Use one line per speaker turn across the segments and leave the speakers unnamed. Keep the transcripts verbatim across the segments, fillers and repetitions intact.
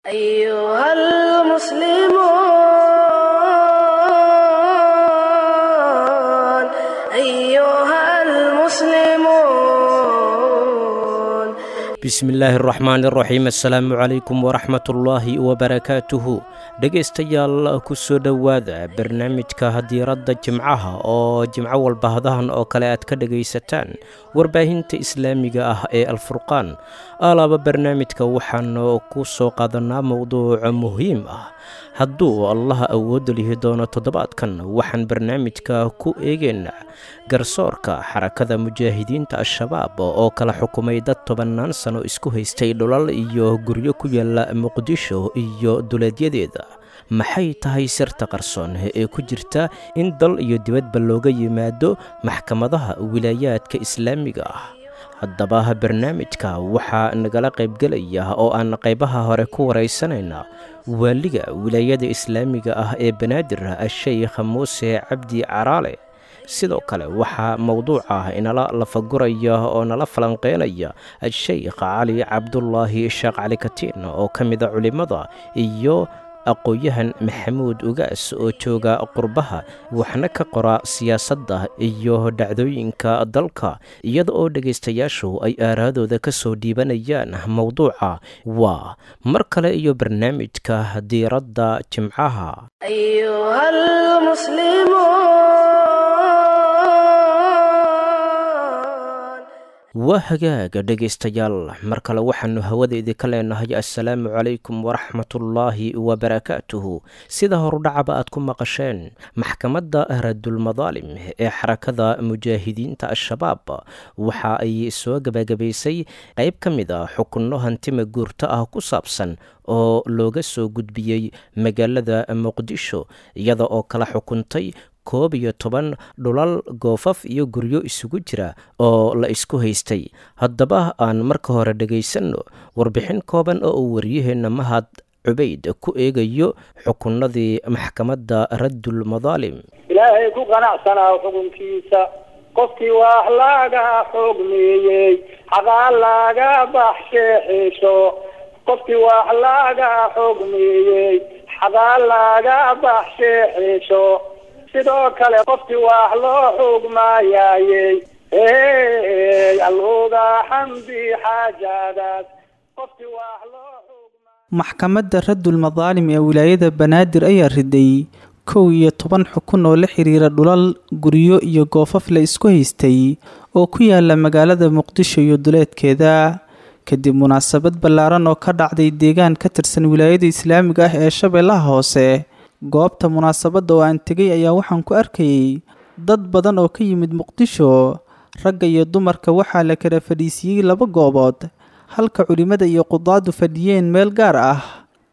أيها المسلمون.
Bismi illaahi araxmaan iraxiim, assalaamu calaykum waraxmatullaahi wabarakaatuhu. Dhegaystayaal, ku soo dhowaada barnaamijka Hadiiradda Jimcaha oo jimco walba hadahan oo kale aad ka dhegaysataan warbaahinta islaamiga ah ee Alfurqaan. Alaaba barnaamijka waxaanu ku soo qaadanaa mowduuc muhiim ah. Hadduu Allaha awoodda lihi doono, toddobaadkan waxaan barnaamijka ku eegaynaa garsoorka Xarakada Mujaahidiinta Al-Shabaab oo kala xukumay dad tobannaan sano isku haystay dhulal iyo guryo ku yaala Muqdisho iyo duleedyadeeda. Maxay tahay sirta qarsoon ee ku jirta in dal iyo dibadba looga yimaado maxkamadaha wilaayaadka islaamiga ah? Haddaba barnaamijka waxaa nagala qaybgelaya oo aan qaybaha hore ku waraysanaynaa waaliga Wilaayada Islaamiga ah ee Banaadir, Asheykh Muuse Cabdi Caraale. Sidoo kale waxaa mowduuca inala lafaguraya oo nala falanqeynaya Asheykh Cali Cabdulaahi Sheekh Cali Katiin oo ka mida culimmada, iyo aqoon-yahan Maxamuud Ugaas oo jooga qurbaha, waxna ka qora siyaasadda iyo dhacdooyinka dalka, iyada oo dhegaystayaashu ay aaraadooda ka soo dhiibanayaan mowduuca. Waa mar kale iyo barnaamijka Diiradda Jimcaha.
أيها المسلمون.
Waa hagaaga dhegaystayaal, mar kale waxaanu hawada idinka leenahay assalaamu calaykum waraxmatullaahi wabarakaatuhu. Sida horudhacaba aad ku maqasheen, maxkamadda Radulmadaalim ee Xarakada Mujaahidiinta Al-Shabaab waxa ay soo gabagabaysay qayb ka mid a xukunno hantima guurto ah ku saabsan oo looga soo gudbiyey magaalada Muqdisho, iyada oo kala xukuntay koob iyo toban dhulal, goofaf iyo guryo isugu jira oo la isku haystay. Haddaba aan marka hore dhegaysanno warbixin kooban oo uu waryaheenna Mahad Cubayd ku eegayo xukunnadii maxkamadda Raddul Madaalim.
Ilaahay ku qanacsanaa xukunkiisa. Qofkii wax laga xugmiyey xaqaa laga baxsheexisho. Qofkii wax laga xugmiyey xaqaa laga baxsheexisho. Sidoo kale qofkii wax loo xugmaayayey alluga xamdi xaajadaas. Qofkii wax loo
Maxkamadda Raddul Madaalim ee Wilaayada Banaadir ayaa riday kow iyo toban xukun oo la xiriira dhulal, guryo iyo goofaf la isku haystay oo ku yaala magaalada Muqdisho iyo duleedkeeda. Kadib munaasabad ballaaran oo ka dhacday deegaan ka tirsan Wilaayada Islaamiga ah ee Shabeellaha Hoose, goobta munaasabadda oo aan tegay ayaa waxaan ku arkayay dad badan oo ka yimid Muqdisho. Ragga iyo dumarka waxaa la kala fadhiisiiyey laba goobood, halka culimmada iyo qudaadu fadhiyeen meel gaar ah.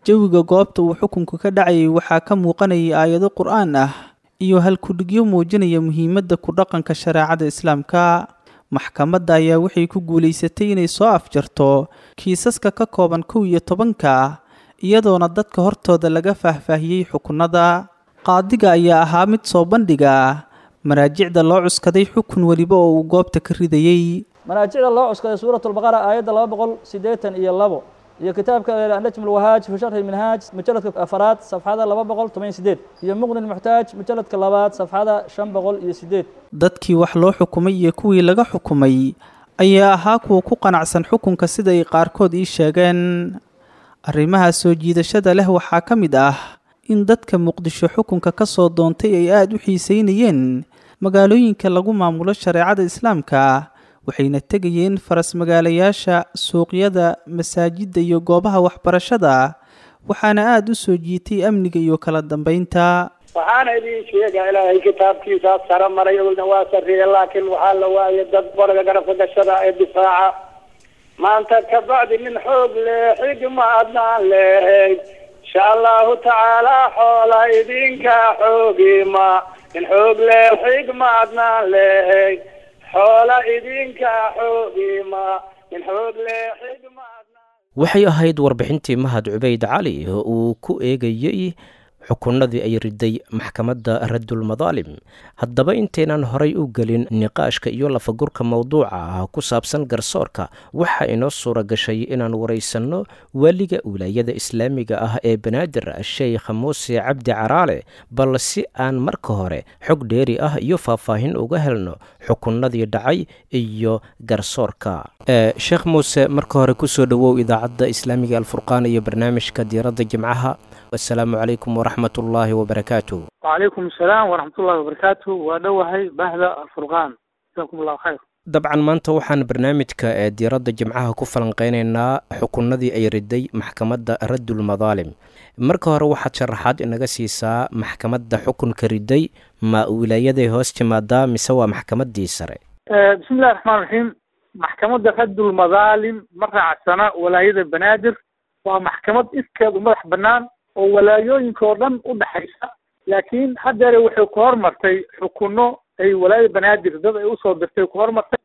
Jawiga goobta uu xukunku ka dhacayay waxaa ka muuqanayay aayado qur-aan ah iyo halkudhigyo muujinaya muhiimadda ku dhaqanka shareecada islaamka. Maxkamadda ayaa waxay ku guulaysatay inay soo afjarto kiisaska ka kooban kow iyo tobanka, iyadoona dadka hortooda laga faahfaahiyey xukunnada. Qaadiga ayaa ahaa mid soo bandhiga maraajicda loo cuskaday xukun weliba oo uu goobta ka ridayey.
Manaajicda loo cuskaday: Suurat Albaqara aayadda laba boqol siddeetan iyo labo, iyo kitaabka Annajm Alwahaaj fi sharxi Minhaaj, mujalladka afaraad, safxada laba boqol toban iyo sideed, iyo Muqni Lmuxtaaj, mujalladka labaad, safxada shan boqol iyo sideed.
Dadkii wax loo xukumay iyo kuwii laga xukumay ayaa ahaa kuwa ku qanacsan xukunka, sida ay qaarkood ii sheegeen. Arrimaha soo jiidashada leh waxaa ka mid ah in dadka Muqdisho xukunka ka soo doontay ay aada u xiiseynayeen magaalooyinka lagu maamulo shareecada islaamka, waxayna tegayeen faras magaalayaasha, suuqyada, masaajidda iyo goobaha waxbarashada. Waxaana aada u soo jiitay amniga iyo kala dambeynta.
Waxaana idiin sheegaa, Ilaahay kitaabkiisaa sare maray, ogna waa sarreeye, laakiin waxaa la waayay dad baraga garabka gashada ee difaaca. Maanta kabacdi nin xoog leh xigma adnaan lehayd, insha Allahu tacaala, xoola idinka xoogima. Nin xoog leh xigma adnaan lehayd, xoola idinka xoogima. Nin xoog leh xigma.
Waxay ahayd warbixintii Mahad Cubayd Cali oo uu ku eegayey xukunnadii ay riday maxkamadda raddulmadaalim. Haddaba intaynaan horay u gelin niqaashka iyo lafagurka mowduuca ah ku saabsan garsoorka, waxaa inoo suura gashay inaan waraysanno waaliga wilaayada islaamiga ah ee Banaadir, Sheikh Muuse Cabdi Caraale, bal si aan marka hore xog dheeri ah iyo faahfaahin uga helno xukunnadii dhacay iyo garsoorka. Sheekh Muuse, marka hore kusoo dhowow idaacadda islaamiga Alfurqaan iyo barnaamijka Diiradda Jimcaha. Assalaamu calaykum waraxmat ullaahi wabarakaatuh.
Wacalaykum asalaam waraxmatullahi wabarakaatuh. Waa dhowahay bahda Alfurqaan, jazakum allahu khayr.
Dabcan maanta waxaan barnaamijka ee Diiradda Jimcaha ku falanqeynaynaa xukunnadii ay riday maxkamadda raddulmadaalim. Marka hore waxaad sharaxaad inaga siisaa maxkamadda xukunka riday, ma wilaayaday hoos timaadaa mise waa maxkamaddii sare?
Bismi illahi raxmaan raxiim. Maxkamadda raddulmadaalim ma raacsana walaayada Banaadir, waa maxkamad iskeedu madax bannaan oo walaayooyinka oo dhan u dhexaysa, laakiin haddeere waxay ku hormartay xukunno ay walaayada Banaadir dad ay usoo dirtay ku hormartay.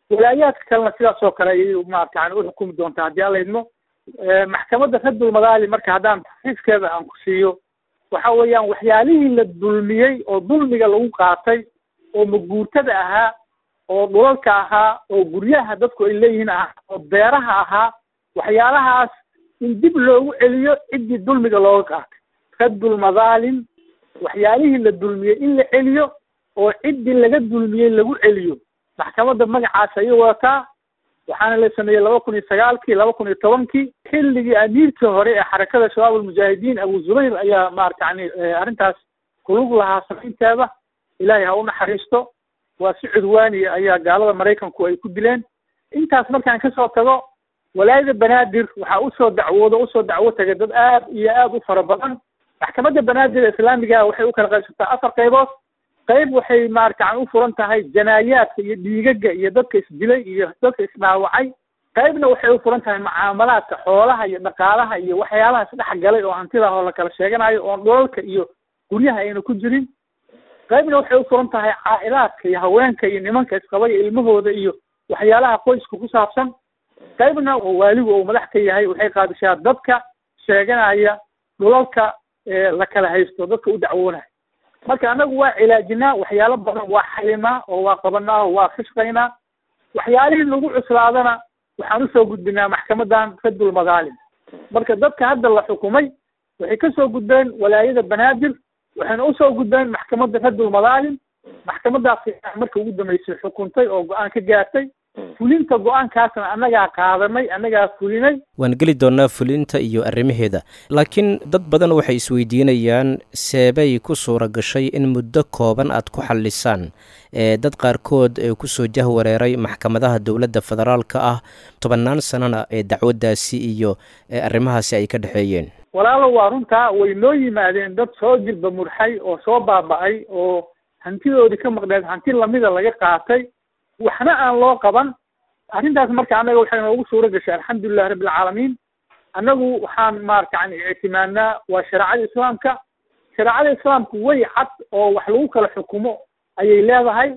Walaayaadka kalena sidaas oo kale ayay maarata yani uxukumi doontaa haddii Alla idmo. Maxkamadda raddulmadaalim marka haddaan taxriifkeeda aan ku siiyo, waxa weeyaan waxyaalihii la dulmiyey oo dulmiga lagu qaatay oo maguurtada ahaa oo dhulalka ahaa oo guryaha dadku ay leeyihiin ahaa oo beeraha ahaa, waxyaalahaas in dib loogu celiyo ciddii dulmiga looga qaatay. Raddulmadaalim waxyaalihii la dulmiyey in la celiyo oo ciddii laga dulmiyey lagu celiyo, maxkamadda magacaas ayay wadataa. Waxaana la sameeyey laba kun iyo sagaalkii, laba kun iyo tobankii, xilligii amiirkii hore ee xarakada Shabaab Almujaahidiin Abu Zubayr ayaa maarata yani arrintaas kulug lahaa samaynteeda. Ilaahay ha u naxariisto, waa si cudwaaniya ayaa gaalada Maraykanku ay ku dileen. Intaas markaan kasoo tago, walaayada Banaadir waxaa usoo dacwoodo usoo dacwo tagay dad aad iyo aad u fara badan. Maxkamadda Banaadir ee islaamiga waxay u kala qaybsataa afar qaybood. Qayb waxay maarata u furan tahay janaayaadka iyo dhiigaga iyo dadka isdilay iyo dadka isdhaawacay. Qaybna waxay u furan tahay mucaamalaadka xoolaha iyo dhaqaalaha iyo waxyaalaha isdhex galay oo hantida oo la kala sheeganayo oon dhulalka iyo guryaha ayna ku jirin. Qaybna waxay u furan tahay caa'ilaadka iyo haweenka iyo nimanka isqabay ilmahooda iyo waxyaalaha qoyska ku saabsan. Qaybna oo waaligu uu madax ka yahay waxay qaadishaa dadka sheeganaya dhulalka la kala haysto, dadka u dacwoonaya. Marka annagu waa cilaajinaa waxyaalo badan, waa xalimaa oo waa qabanaa oo waa ka shaqaynaa. Waxyaalihii lagu cuslaadana waxaan usoo gudbinaa maxkamadan raddulmadaalim. Marka dadka hadda la xukumay waxay kasoo gudbeen walaayada Banaadir, waxayna usoo gudbeen maxkamadda raddulmadaalim. Maxkamadaas marka ugu dambeysay xukuntay oo go-aan ka gaartay. Fulinta go-aankaasna annagaa qaadanay, annagaa fulinay.
Waan geli doonaa fulinta iyo arrimaheeda, laakiin dad badan waxay isweydiinayaan seebay ku suura gashay in muddo kooban aad ku xallisaan dad qaarkood ee kusoo jahwareeray maxkamadaha dowladda federaalka ah tobannaan sanana ee dacwaddaasi iyo arrimahaasi ay ka dhexeeyeen.
Walaalo, waa runtaa, way noo yimaadeen dad soo jilba murxay oo soo baaba'ay oo hantidoodii ka maqneed hanti lamida laga qaatay, waxna aan loo qaban arrintaas. Marka annaga waxay noogu suura gashay, alxamdulilahi rabbilcaalamiin, annagu waxaan maarata yani ictimaadnaa waa shareecada islaamka. Shareecada islaamku way cad oo wax lagu kala xukumo ayay leedahay.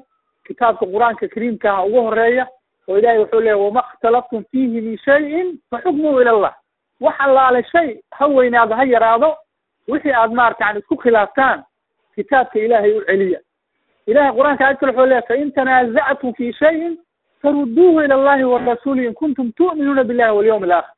Kitaabka Qur-aanka kariimkaha ugu horeeya oo Ilahay wuxuu leeyahy: "Wama ikhtalaftum fiihi min shayin fa xukmuhu ila Allah." Wax allaale shay ha weynaado ha yaraado, wixii aad maarata yani isku khilaaftaan kitaabka Ilaahay u celiya. Ilahay Qur-aanka aayad kale wuxuu leeyahy: "Fain tanaasactum fi shayin farudduuhu ila Allahi warasuuli in kuntum tu'minuuna billahi walyawmi alaakhir."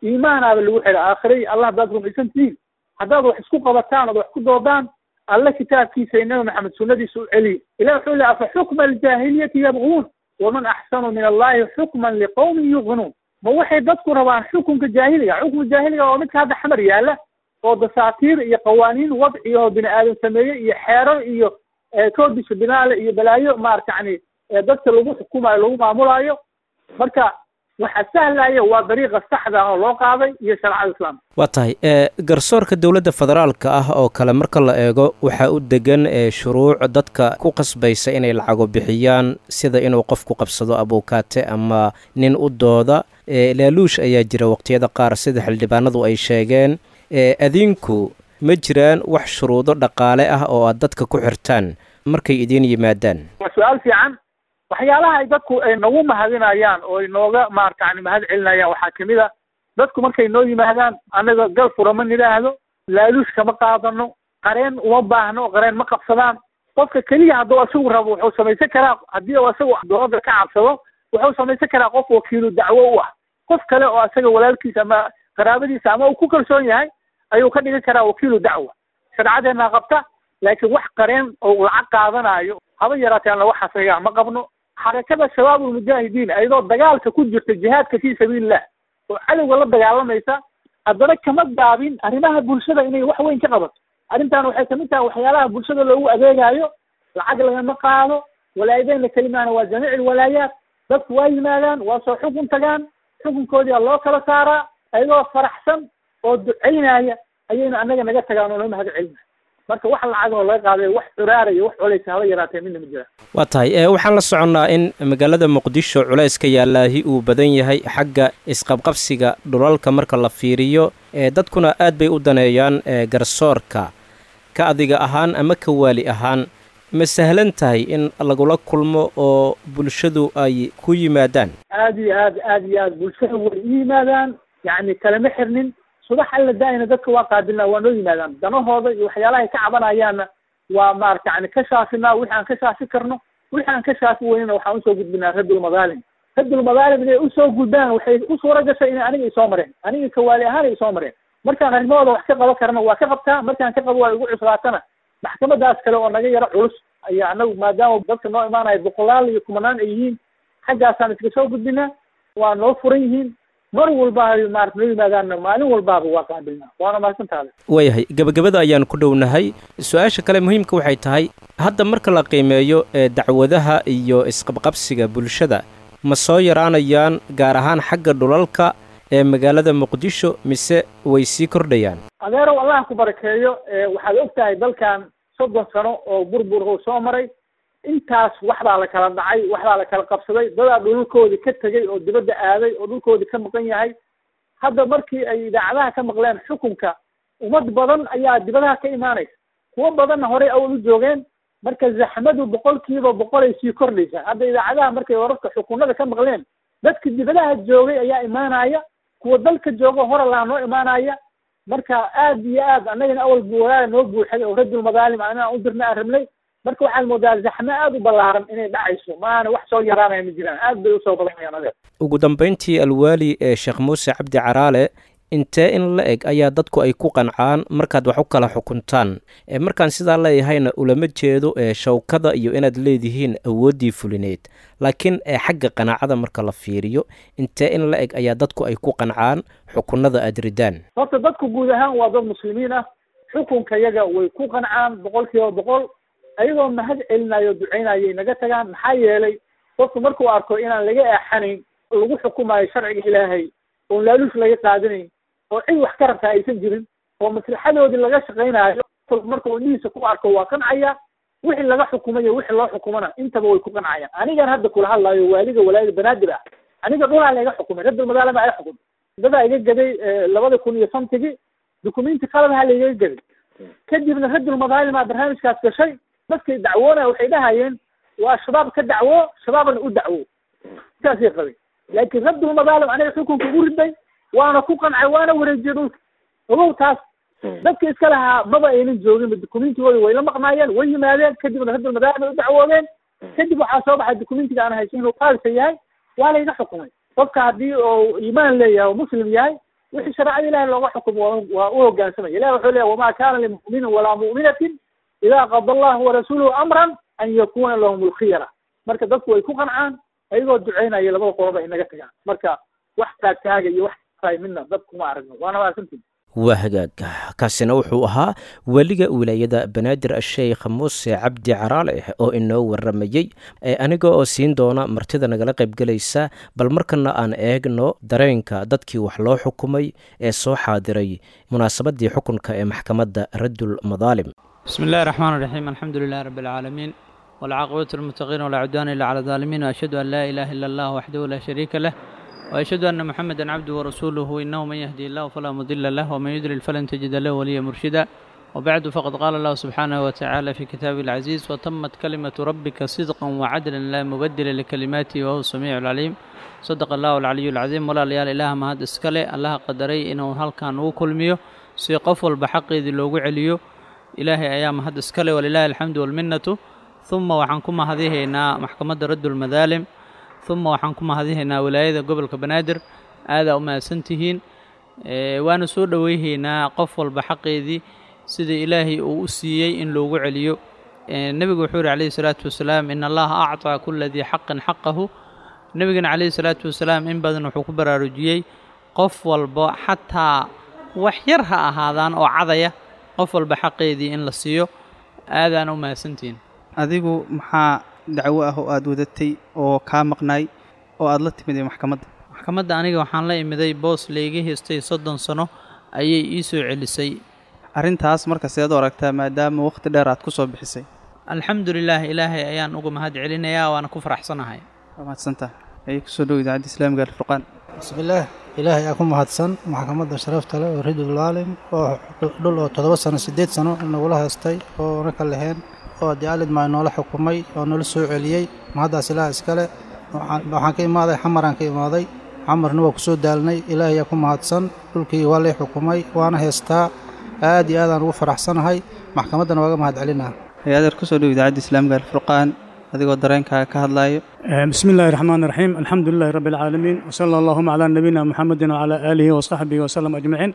Iimaanaaba lagu xidha aakhire iyo Allah haddaad rumaysan tihiin, haddaad wax isku qabataan ood wax ku doodaan, Alle kitaabkiisa iyo Nabi Maxamed sunnadiisa u celiya. Ilahi wuxuu leeyahy: "Afa xukma aljaahiliyati yabguun waman axsanu min Allahi xukman liqawmin yuqinuun." Ma waxay dadku rabaan xukunka jaahiliga? Xukunka jaahiliga waa midka hadda Xamar yaalla oo dasaatiir iyo qawaaniin wadci oo bini aadam sameeyey iyo xeerar iyo koodisha binaale iyo balaayo maarata yani dadka lagu xukumayo lagu maamulayo. Marka waxa sahlaya waa dariiqa saxda ah oo loo qaaday iyo shareecada islaamka.
Waa tahay. Garsoorka dowladda federaalka ah oo kale marka la eego, waxaa u degan shuruuc dadka ku qasbaysa inay lacago bixiyaan, sida inuu qofku qabsado abuukaate ama nin u dooda. Laaluush ayaa jira waqtiyada qaar, sida xildhibaanadu ay sheegeen. Adinku ma jiraan wax shuruudo dhaqaale ah oo aad dadka ku xirtaan markay idiin yimaadaan?
Waa su-aal fiican. Waxyaalaha ay dadku ay nagu mahadinayaan oo ay nooga maarata yani mahad celinayaan waxaa kamid a, dadku markay noo yimaadaan annaga gal fura ma nidhaahdo, laaluush kama qaadano, Qareen uma baahno, qareen ma qabsadaan. Qofka keliya hadduu isagu rabo wuxuu samaysan karaa, haddii uu isagu dowladda ka cabsado wuxuu samaysan karaa qof wakiilu dacwo u ah, qof kale oo isaga walaalkiisa ama qaraabadiisa ama uu ku kalsoon yahay ayuu ka dhigan karaa wakiilu dacwa. Sharcadeena qabta, laakiin wax qareen oo lacag qaadanayo haba yaraatee aan waxaas ayaga ma qabno. Xarakada Shabaabulmujaahidiin ayadoo dagaalka ku jirta jihaadka fii sabiilillah oo cadowga la dagaalamaysa, haddana kama gaabin arrimaha bulshada inay wax weyn ka qabato. Arrintan waxay kamid tahay waxyaalaha bulshada loogu adeegayo. Lacag lagama qaado, walaayadeenna kelimaana waa jamiic alwalaayaat. Dadku waa yimaadaan, waa soo xukun tagaan, xukunkoodii loo kala saaraa, ayagoo faraxsan oo ducaynaya ayayna annaga naga tagaan oo noo mahad celinaya. Marka wax lacag oo laga qaaday, wax curaaraya, wax culaysa haba yaraatee midna ma jiraan.
Waa tahay. Waxaan la soconnaa in magaalada Muqdisho culayska yaallaahi uu badan yahay xagga isqabqabsiga dhulalka marka la fiiriyo, dadkuna aad bay u daneeyaan garsoorka. Ka adiga ahaan ama ka waali ahaan, ma sahlan tahay in lagula kulmo oo bulshadu ay ku yimaadaan?
Aad iyo aad, aad iyo aad bulshadu way u yimaadaan, yacni kalama xirnin. Subax alla daayina dadka waa qaabilnaa, waa noo yimaadaan. Danahooda iyo waxyaalaha ay ka cabanayaanna waa maarata yani ka shaafinaa wixii aan ka shaafi karno, wixii aan ka shaafi weynina waxaan usoo gudbinaa Raddulmadaalim. Raddulmadaalim inay usoo gudbaan waxay u suura gashay inay aniga isoo mareen, aniga kawaali ahaan ay isoo mareen. Markaan arrimahooda wax ka qaban karna waa ka qabtaa, markaan ka qabo waa igu cuslaatana maxkamadaas kale oo naga yaro culus ayaa anagu, maadaama dadka noo imaanaya boqolaal iyo kumanaan ay yihiin, xaggaasaan iska soo gudbinaa. Waa noo furan yihiin mar walba ay maarata noo yimaadaanna, maalin walbaaba waa qaabilnaa. Waana mahadsantaada.
Waayahay, gabagabada ayaan ku dhownahay. Su-aasha kale muhiimka waxay tahay, hadda marka la qiimeeyo ee dacwadaha iyo isqabqabsiga bulshada, ma soo yaraanayaan gaar ahaan xagga dhulalka ee magaalada Muqdisho mise way sii kordhayaan?
Adeerow, Allah ku barakeeyo. Waxaad og tahay dalkan soddon sano oo burbur uu soo maray. Intaas wax baa la kala dhacay, wax baa la kala qabsaday, dadaa dhulalkoodii ka tegey oo dibadda aaday oo dhulkoodii ka maqan yahay. Hadda markii ay idaacadaha ka maqleen xukunka, ummad badan ayaa dibadaha ka imaanaysa, kuwo badanna horey awal u joogeen. Marka zaxmadu boqolkiiba boqol ay sii kordhaysaa. Hadda idaacadaha markay wararka xukunada ka maqleen, dadka dibadaha joogay ayaa imaanaya, kuwa dalka jooga hore laa noo imaanaya. Marka aad iyo aad annagana awal buwalaala noo buuxay oo Raddulmadaalim anaa u dirna aan rabnay. Marka waxaad moodaa zaxmo aad u ballaaran inay dhacayso, maana wax soo yaraanaya ma jiraan, aad bay usoo badanayaan adeer.
Ugu dambeyntii, alwaali ee Sheekh Muuse Cabdi Caraale, intee in la eg ayaa dadku ay ku qancaan markaad wax u kala xukuntaan? Markaan sidaa leeyahayna ulama jeedo ee shawkada iyo inaad leedihiin awooddii fulineed, laakiin xagga qanaacada marka la fiiriyo, intee in la eg ayaa dadku ay ku qancaan xukunada aad ridaan?
Horta dadku guud ahaan waa dad muslimiin ah, xukunka yaga way ku qancaan boqol kiiba boqol, ayagoo mahad celinayo o ducaynayay naga tagaan. Maxaa yeelay qofku markuu arko inaan laga eexanayn, lagu xukumayo sharciga Ilaahay, oon laaluush laga qaadanayn, oo cid wax ka rabtaa aysan jirin, oo maslaxadoodii laga shaqaynayo, markuu indhihiisa ku arko waa qancaya. Wixii laga xukumayo wixii loo xukumana intaba way ku qancayaan. Anigan hadda kula hadlayo waaliga walaayada Banaadir ah, aniga dhulaa layga xukumay, Raddulmadaalima iga xukumay, dadaa iga gaday labada kun iyo shantigii, dukumenti qaladaha laygaga gaday. Kadibna Raddulmadaalima barnaamijkaas gashay. Dadkay dacwoonaya waxay dhahayeen waa shabaab ka dacwo, shabaabna u dacwo, intaasay qabay. Laakiin Raddulmadaalim aniga xukunka ugu riday, waana ku qancay, waana wareejiyey dhulka. Ogow taas dadka iska lahaa maba aynan joogin, dukumentigooda way la maqnaayeen, way yimaadeen, kadibna Raddulmadaalim ay u dacwoodeen. Kadib waxaa soo baxay dukumentiga aan haysan inuu qaalisa yahay, waa layga xukumay. Qofka haddii uu iimaan leeyahay oo muslim yahay, wixii shareecada Ilahi looga xukumo waa u hoggaansamaya. Ilahi wuxuu leeyahy wamaa kaana limu'minin walaa mu'minatin idaa qada allahu warasuuluhu amran an yakuna lahum alkhiyara. Marka dadku way ku qancaan, ayagoo ducaynaya labada qoloba ay naga tagaan. Marka wax taagtaaga iyo wax tahay midna dadku ma aragno. Waana mahadsantihin.
Waa hagaag. Kaasina wuxuu ahaa weliga wilaayada Banaadir, Sheekh Muuse Cabdi Caraale, oo inoo waramayey. Aniga oo siin doona martida nagala qaybgelaysa, bal markana aan eegno dareenka dadkii wax loo xukumay ee soo xaadiray munaasabadii xukunka ee maxkamadda Raddul Madaalim.
بسم الله الرحمن الرحيم، الحمد لله رب العالمين، والعاقبة للمتقين، ولا عدوان إلا على الظالمين، وأشهد أن لا إله إلا الله وحده لا شريك له، وأشهد أن محمدا عبده ورسوله. إنه من يهدي الله فلا مضل له، ومن يضلل فلن تجد له وليا مرشدا. وبعد، فقد قال الله سبحانه وتعالى في كتابه العزيز: وتمت كلمة ربك صدقا وعدلا لا مبدل لكلماته وهو السميع العليم. صدق الله العلي العظيم. Walaalayaal, Ilaah mahad iskale, Allaha qadaray inuu halkan ugu kulmiyo si qof walba xaqeedii loogu celiyo. Ilaahay ayaa mahad iskale, walilaahi alxamdu walminnatu. Uma waxaan ku mahadihaynaa maxkamadda Raddulmadaalim, uma waxaan ku mahadihaynaa wilaayada gobolka Banaadir. Aadaa u mahadsantihiin, waana soo dhoweyhaynaa qof walba xaqeedii sida Ilaahay uu u siiyey in loogu celiyo. Nebigu wuxuu yidhi calayhi salaatu wasalaam: "In Allaha actaa kula dii xaqin xaqahu." Nebigana calayhi salaatu wasalaam in badan wuxuu ku baraarujiyey qof walba, xataa wax yar ha ahaadaan oo cadaya, qof walba xaqeedii in la siiyo. Aadaana u mahadsantihiin.
Adigu maxaa dacwo ah oo aada wadatay oo kaa maqnaay oo aada la timid ee maxkamadda?
Maxkamadda aniga waxaan la imiday boos layga haystay soddon sano ayay ii soo celisay.
Arrintaas marka seed u aragtaa, maadaama waqti dheer aad ku soo bixisay?
Alxamdu lilaah, Ilaahay ayaan uga mahad celinayaa, waana ku faraxsanahay.
Waa mahadsantaha. Ayay kusoo dhow Idaacadda Islaamiga Alfurqaan.
Bismillaah, Ilaahay aa ku mahadsan maxkamadda sharafta leh oo Ridul Daalim oo dhul oo toddoba sano siddeed sano nagula haystay oo na ka lahayn oo dee maa noola xukumay oo noola soo celiyey. Mahaddaas Ilaah iskale. Waxaan ka imaaday Xamaraan ka imaaday, Xamarna waa kusoo daalnay. Ilaahay aa ku mahadsan, dhulkii waa lay xukumay waana haystaa. Aad iyo aadaan ugu faraxsanahay, maxkamaddana waaga mahad celinaa.
Hay-adeer, kusoo dhow Idaacadda Islaamiga Alfurqaan adigoo dareenkaaga ka hadlaayo.
بسم الله الرحمن الرحيم، الحمد لله رب العالمين، وصلى اللهم على نبينا محمد وعلى آله وصحبه وسلم أجمعين.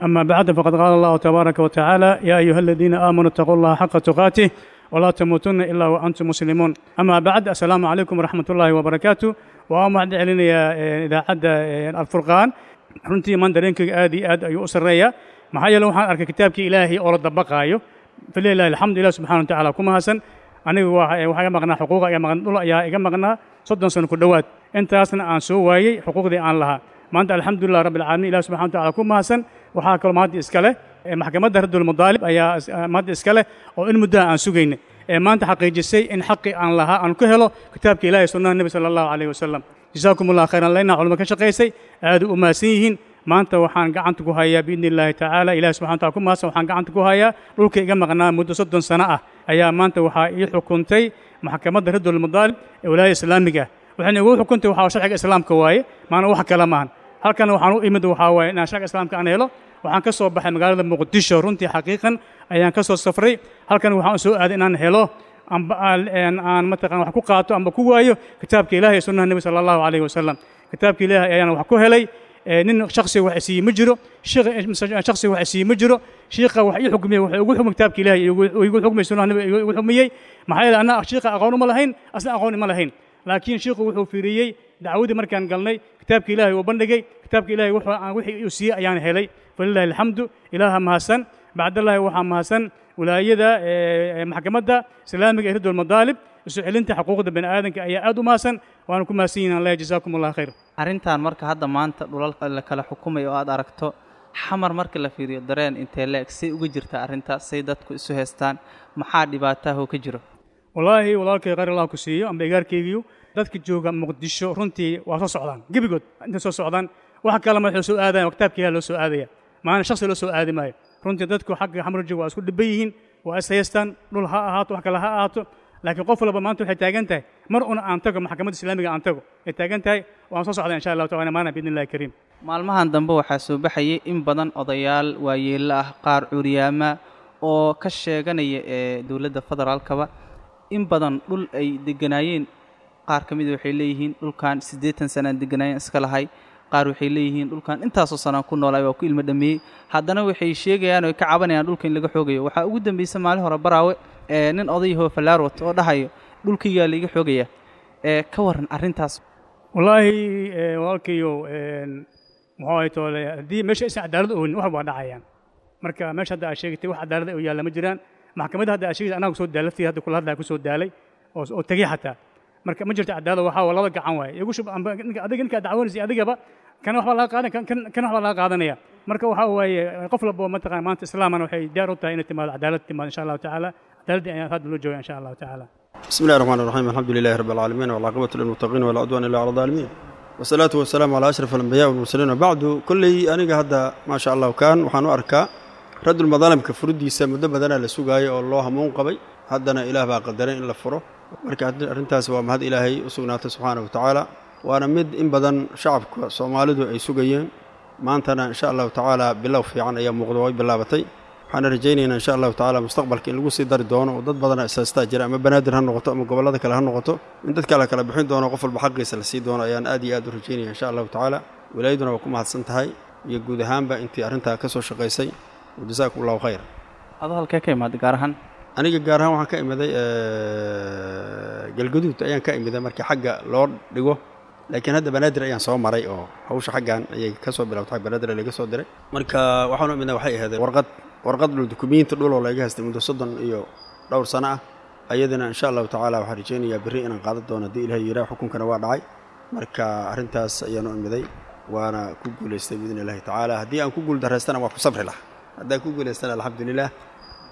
أما بعد، فقد قال الله تبارك وتعالى: "يا أيها الذين آمنوا اتقوا الله حق تقاته ولا تموتن إلا وأنتم مسلمون". أما بعد، السلام عليكم ورحمة الله وبركاته. وأما علينا إذاعة الفرقان، runtii maan dareenkayga aad iyo aad ayuu u sarreeyaa, maxaa yeele waxaan arkay kitaabkii Ilaahay oo la dabaqaayo. Falilahi alxamdu, Ilah subxana wa tacaala ku mahadsan. Anigu waxaa iga maqnaa xuquuqa iga maqan, dhul ayaa iga maqnaa soddon sano ku dhowaad, intaasna aan soo waayey xuquuqdii aan lahaa. Maanta alxamdulilah rabbi alcaalamiin, Ilah subxana wa tacala ku mahadsan. Waxaa kaloo mahadda iska leh maxkamadda Raddulmadaalib ayaa mahadda iska leh oo in muddaha aan sugaynay ee maanta xaqiijisay in xaqii aan lahaa aan ku helo kitaabka Ilahi, sunnaha Nebi sala Allahu calayhi wasalam. Jasaakum Allah khayran. Laynaa culimo ka shaqaysay aad u mahadsan yihiin. Maanta waxaan gacanta ku hayaa, biidni Illaahi tacaala, Ilahi subxana wataala ku mahadsan, waxaan gacanta ku hayaa dhulka iga maqnaa muddo soddon sano ah ayaa maanta waxaa ii xukuntay maxkamadda Raddulmadaalib ee walaayada islaamiga ah. Waxayna igu xukuntay waxaa sharciga islaamka waaye, maana wax kale maahan. Halkan waxaan u imid waxaa waaye inaan sharciga islaamka aan helo. Waxaan ka soo baxay magaalada Muqdisho, runtii xaqiiqan ayaan ka soo safray. Halkan waxaan u soo aaday inaan helo amba aan mataqan wax ku qaato amba ku waayo kitaabka Ilaahay iyo sunnaha Nebi sala Allahu calayhi wasalam. Kitaabka Ilaahay ayaan wax ku helay. Nin shakhsiga wax isiiye ma jiro, shakhsiga wax isiiye ma jiro. Shiikha wax ii xukmiyey wuxuu igu xukmay kitaabka Ilaahay, igu xukmiyey sunnaha Nebiga igu xukmiyey. Maxaa yeelay anna shiikha aqoon uma lahayn, asna aqoon ima lahayn, laakiin shiikhu wuxuu fiiriyey dacwadii markaan galnay, kitaabka Ilaahay uu bandhigay, kitaabka Ilaahay wuxuu aan wixii uu siiyey ayaan helay. Falilahi alxamdu, Ilaaha mahadsan. Bacdallahi waxaa mahadsan wilaayada, maxkamadda islaamiga ee Raddulmadaalib, isu celinta xuquuqda bani aadamka ayaa aad u mahadsan, waana ku mahadsan yihin. Allah jazaakum Allah khayr.
Arrintan marka hadda maanta dhulalka la kala xukumay oo aad aragto Xamar, marka la fiiriyo dareen intee leeg say uga jirtaa arrintaas, say dadku isu haystaan, maxaa dhibaataahoo ka jiro?
Wallaahi walaalkay, khayr Allah ku siiyo amba igaarkaygiyo. Dadka jooga Muqdisho runtii waa soo socdaan gebigood, intay soo socdaan wax kale ma waxay soo aadayan, waa kitaabka Ilaah loo soo aadaya, maana shakhsi loo soo aadi maayo. Runtii dadku xagga Xamar jooga waa isku dhiban yihiin, waa is haystaan, dhul ha ahaato, wax kale ha ahaato, laakiin qof walba maanta waxay taagan tahay mar una aan tago maxkamadda islaamiga aan tago ay taagan tahay. Waan soo socdaa insha Allahu taala maana biidni Illahi kariim.
Maalmahan dambe waxaa soo baxayay in badan odayaal waayeello ah, qaar curyaama oo ka sheeganaya ee dowladda federaalkaba in badan dhul ay deganaayeen. Qaar ka mida waxay leeyihiin dhulkan siddeetan sanaan deganaayeen iska lahay. Qaar waxay leeyihiin dhulkan intaasoo sanaan ku noolaay, waa ku ilmo dhameeyey. Haddana waxay sheegayaan oo ay ka cabanayaan dhulka in laga xoogayo. Waxaa ugu dambeysay maalin hore Baraawe ee nin odayahoo fallaar wato oo dhahayo dhulkaygaa laiga xoogaya. Ee ka waran arrintaas?
Wallaahi walaalkayo, muxuu ahay toole, haddii meesha aysan cadaalad oonin wax waa dhacayaan. Marka meesha hadda aad sheegatay wax cadaalad oo yaalla ma jiraan. Maxkamadda hadda aad sheegtay anaa kusoo daalay, laftii hadda kula hadlaya kusoo daalay oo oo tegey xataa. Marka ma jirto cadaalad, waxaa waa laba gacan waaye igu shub amba ninka adiga ninka dacwoonaysa adigaba kana waxbaa laga qaadan kan kan waxbaa laga qaadanaya. Marka waxaa waaye qof walba mataqaan maanta islaamana waxay diyaar u tahay inay timaado cadaalad, timaado insha Allahu tacaala. Cadaaladii ayaa hadda loo jooga insha Allahu tacaala.
بسم الله الرحمن الرحيم، الحمد لله رب العالمين، والعاقبة للمتقين، ولا عدوان إلا على الظالمين، والصلاة والسلام على أشرف الأنبياء والمرسلين، وبعد. كلي أنيقا هذا ما شاء الله كان وحانو أركا رد المظالم كفرديسا مدة بدنا لسوقاي oo loo hamuun qabay, haddana Ilaah baa qadaray in la furo. Marka arrintaas waa mahad Ilaahay u sugnaatay subxaanahu wa tacaala, waana mid in badan shacabka Soomaalidu ay sugayeen. Maantana insha Allahu tacaala bilow fiican ayaa muuqda, way bilaabatay. Waxaana rajaynaynaa insha allahu tacaala mustaqbalka in lagu sii dari doono oo dad badana isaastaa jira, ama Banaadir ha noqoto ama gobollada kale ha noqoto, in dadka la kala bixin doono, qof walba xaqiisa la sii doono ayaan aad iyo aad u rajaynaya insha allahu tacaala. Wilaayaduna waa ku mahadsan tahay iyo guud ahaanba intii arrintaa ka soo shaqaysay. Wajazaakum allahu khayr.
Adoo halkee ka imaaday gaar ahaan?
Aniga gaar ahaan waxaan ka imiday Galgaduud ayaan ka imiday markii xagga loo dhigo, laakiin hadda Banaadir ayaan soo maray oo hawsha xaggan ayay ka soo bilowtay, xag Banaadir laga soo diray. Marka waxaan u imidnay waxay ahayd warqad warqad dhul, dukumiinti dhul oo laga haystay muddo soddon iyo dhowr sano ah. Ayadana insha allahu tacaala waxaan rajaynayaa berri inaan qaadan doono haddii Ilahay yidhaah. Xukunkana waa dhacay, marka arrintaas ayaan u imiday waana ku guulaystay biidni illahi tacaala. Haddii aan ku guul daraystana waa ku sabri lahaa, haddaan ku guulaystana alxamdulilah.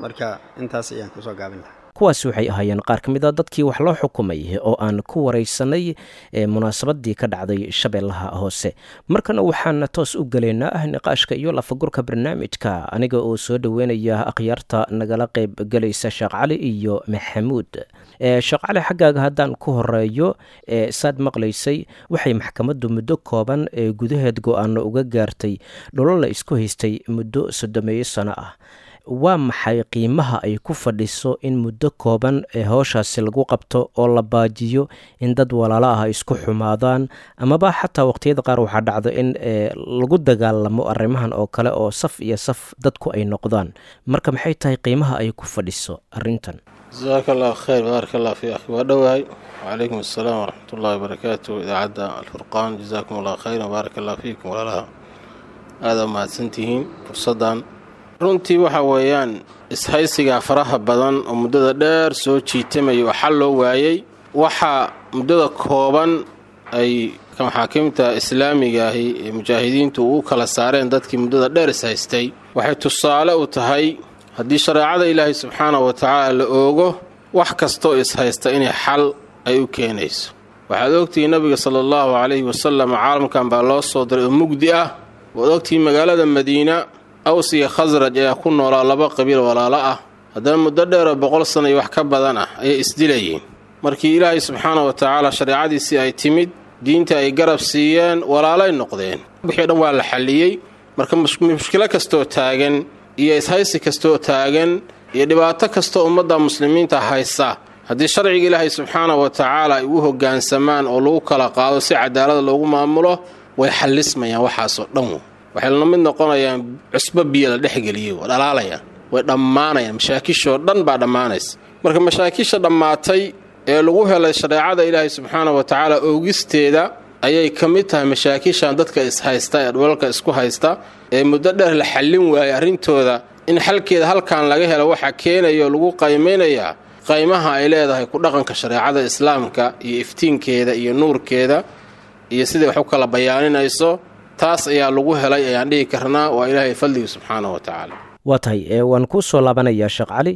Marka intaas ayaan kusoo gaabin lahaa.
Kuwaasi waxay ahaayeen qaar ka mid a dadkii wax loo xukumay oo aan ku waraysanay munaasabadii ka dhacday Shabeellaha Hoose. Markana waxaan toos u gelaynaa niqaashka iyo lafagurka barnaamijka, aniga oo soo dhoweynaya akhyaarta nagala qayb gelaysa, Sheekh Cali iyo Maxamuud. Sheekh Cali, xaggaaga haddaan ku horeeyo, saad maqlaysay waxay maxkamaddu muddo kooban ee gudaheed go-aano uga gaartay dholo la isku haystay muddo soddomeeyo sano ah. Waa maxay qiimaha ay ku fadhiso in muddo kooban ee howshaasi lagu qabto oo la baajiyo in dad walaalo ah ay isku xumaadaan, amaba xataa waqtiyada qaar waxaa dhacdo in lagu dagaalamo arrimahan oo kale oo saf iyo saf dadku ay noqdaan? Marka maxay tahay qiimaha ay ku fadhiso arrintan?
Jasaaka allahu khayr, baaraka allah fi akhi. Waa dhowahay. Wacalaykum assalaam waraxmat ullahi wabarakaatu. Idaacadda Alfurqaan, jazaakum allah khayran, baaraka allah fiikum. Walaalaha aada mahadsantihiin fursaddan. Runtii waxa weeyaan ishaysiga faraha badan oo muddada dheer soo jiitamaya oo xal loo waayey, waxaa muddada kooban ay maxaakiimta islaamiga ahi ee mujaahidiintu ugu kala saareen dadkii muddada dheer ishaystay waxay tusaale u tahay haddii shareecada Ilaahay subxaanahu wa tacaala la oogo, wax kastoo ishaysta inay xal ay u keenayso. Waxaad ogtihiin Nabiga sala allahu calayhi wasalam caalamkan baa loo soo diray oo mugdi ah. Waad ogtihiin magaalada Madiina Aws iyo Khasraj ayaa ku noolaa, laba qabiil walaalo ah. Haddana muddo dheeroo boqol sana iyo wax ka badan ah ayay isdilayeen. Markii Ilaahay subxaana wa tacaala shareecadiisii ay timid, diinta ay garab siiyeen, walaalay noqdeen, wixii dhan waa la xalliyey. Marka mushkilo kastoo taagan iyo ishaysi kastoo taagan iyo dhibaato kastoo ummadda muslimiinta haysa, haddii sharciga Ilaahay subxaana wa tacaala ay u hoggaansamaan oo lagu kala qaado si cadaalada loogu maamulo, way xallismayaan waxaasoo dhan. Waxay la mid noqonayaan cusbo biyo la dhexgeliyey, waa dhalaalayaan, way dhammaanayaan, mashaakishoo dhan baa dhammaanaysa. Marka mashaakisha dhammaatay ee lagu helay shareecada Ilaahay subxaana wa tacaala oogisteeda ayay ka mid tahay mashaakishan dadka ishaysta ee dhulalka isku haysta ee muddo dheer la xallin waayay arrintooda, in xalkeeda halkan laga helo. Waxaa keenaya oo lagu qaymaynayaa qaymaha ay leedahay ku dhaqanka shareecada islaamka iyo iftiinkeeda iyo nuurkeeda iyo siday wax u kala bayaaninayso. Taas ayaa lagu helay ayaan dhihi karnaa, waa Ilaahay fadliga subxaana wa tacaala.
Waa tahay, waan kuu soo laabanayaa Sheekh Cali.